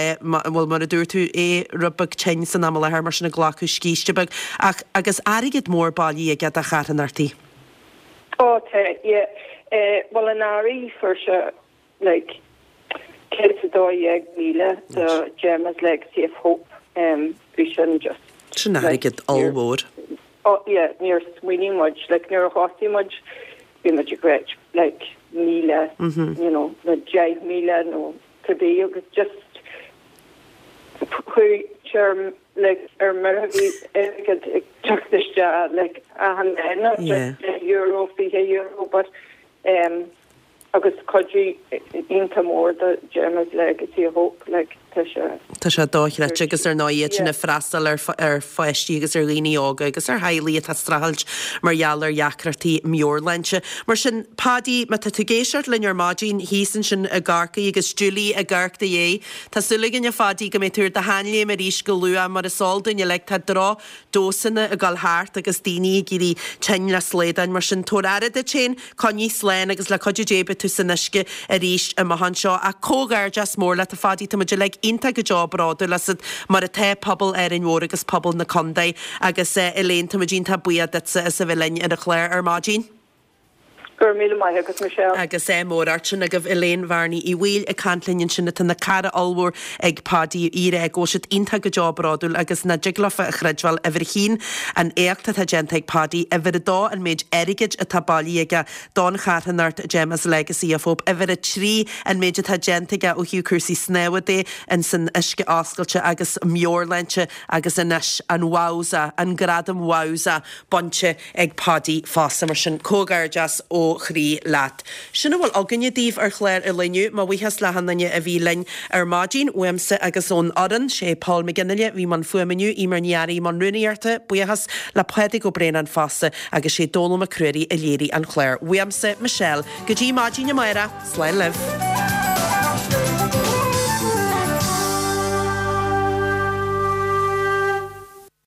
bhuel mar a dúirt tú é rud beag tinn san am i láthair mar sin ag glacadh scíste beag ach agus airgead mór bailithe aige do charthanachtaí. Ó tá yeah bhuel anuraidh fuair sé like céad is a dó dhéag míle do Gemma's Legacy of Hope bhí sin just Sin airgead ollmhór. Oh yeah níor smaoinigh muid like nuair a thosaigh muid bhí muid ag rá like míle you know nó deich míle nó cibé agus just chuaigh sé ar like ar mire bhí airgead ag teacht isteach like achan lá not just deich euro fiche euro but um Agus cuidiú iontach mór do Gemma's Legacy of Hope, like, tá sé. Tá sé dochreidte agus ar ndóigh iad sin ag freastal ar ar pháistí agus ar dhaoine óga agus ar theaghlaigh atá ag streachailt mar gheall ar dheacrachtaí meabhairshláinte. Mar sin, Paddy, má tá tú ag éisteacht linn ar maidin thíos ansin i gCorcaigh agus Julie ag amharc do dhiaidh, tá súil againn a Phaddy go mbeidh tú ar do sheanléim arís go luath mar is eol dúinn uilig tá droch damhsanna ag dul thart agus daoine ag éirí tinn le slaodáin mar sin tabhair aire duit féin, coinnigh slán agus le cuidiú Dé beidh tú san uisce arís amach anseo. Ach comhghairdeas mór leat a Phaddy, tá muid uilig iontach go deo bródúil asat mar atá pobal Árainn Mhór agus pobal na contae agus Elaine tá muid iontach buíoch duitse as a bheith linn ar an chlár ar maidin. Go raibh míle maith agat Michelle. Agus ádh mór ort sin agaibh Elaine Bhearnaí Uí Bhaoill ag caint linn ansin atá ina cara ollmhór ag Paddy í ag rá go bhfuil siad iontach go deo bródúil agus nach dtig leofa a chreidbheáil uimhir a haon an éacht atá déanta ag Paddy, uimhir a dó an méid airgid atá bailithe aige don charthanacht Gemma's Legacy of Hope, uimhir a trí an méid atá déanta aige ó thaobh cúrsaí snámha de ins an uisce oscailte agus meabhairshláinte agus anois an Wowza, an gradam Wowza bainte ag Paddy fosta. Mar sin, comhghairdeas ó chroí leat. Sin a bhfuil againne daoibh ar chlár an lae inniu. Mo bhuíochas le achan duine a bhí linn ar maidin, uaimse agus ón fhoireann. Sé Paul McGinley a bhí i mbun fuaime inniu, Eimear Ní Fhearraigh i mbun rúnaíochta. Buíochas le Pádraig Ó Braonáin fosta agus sé Dónal Mac Ruairí a léirigh an clár. Uaimse, Michelle. Go dtí maidin amárach, slán libh.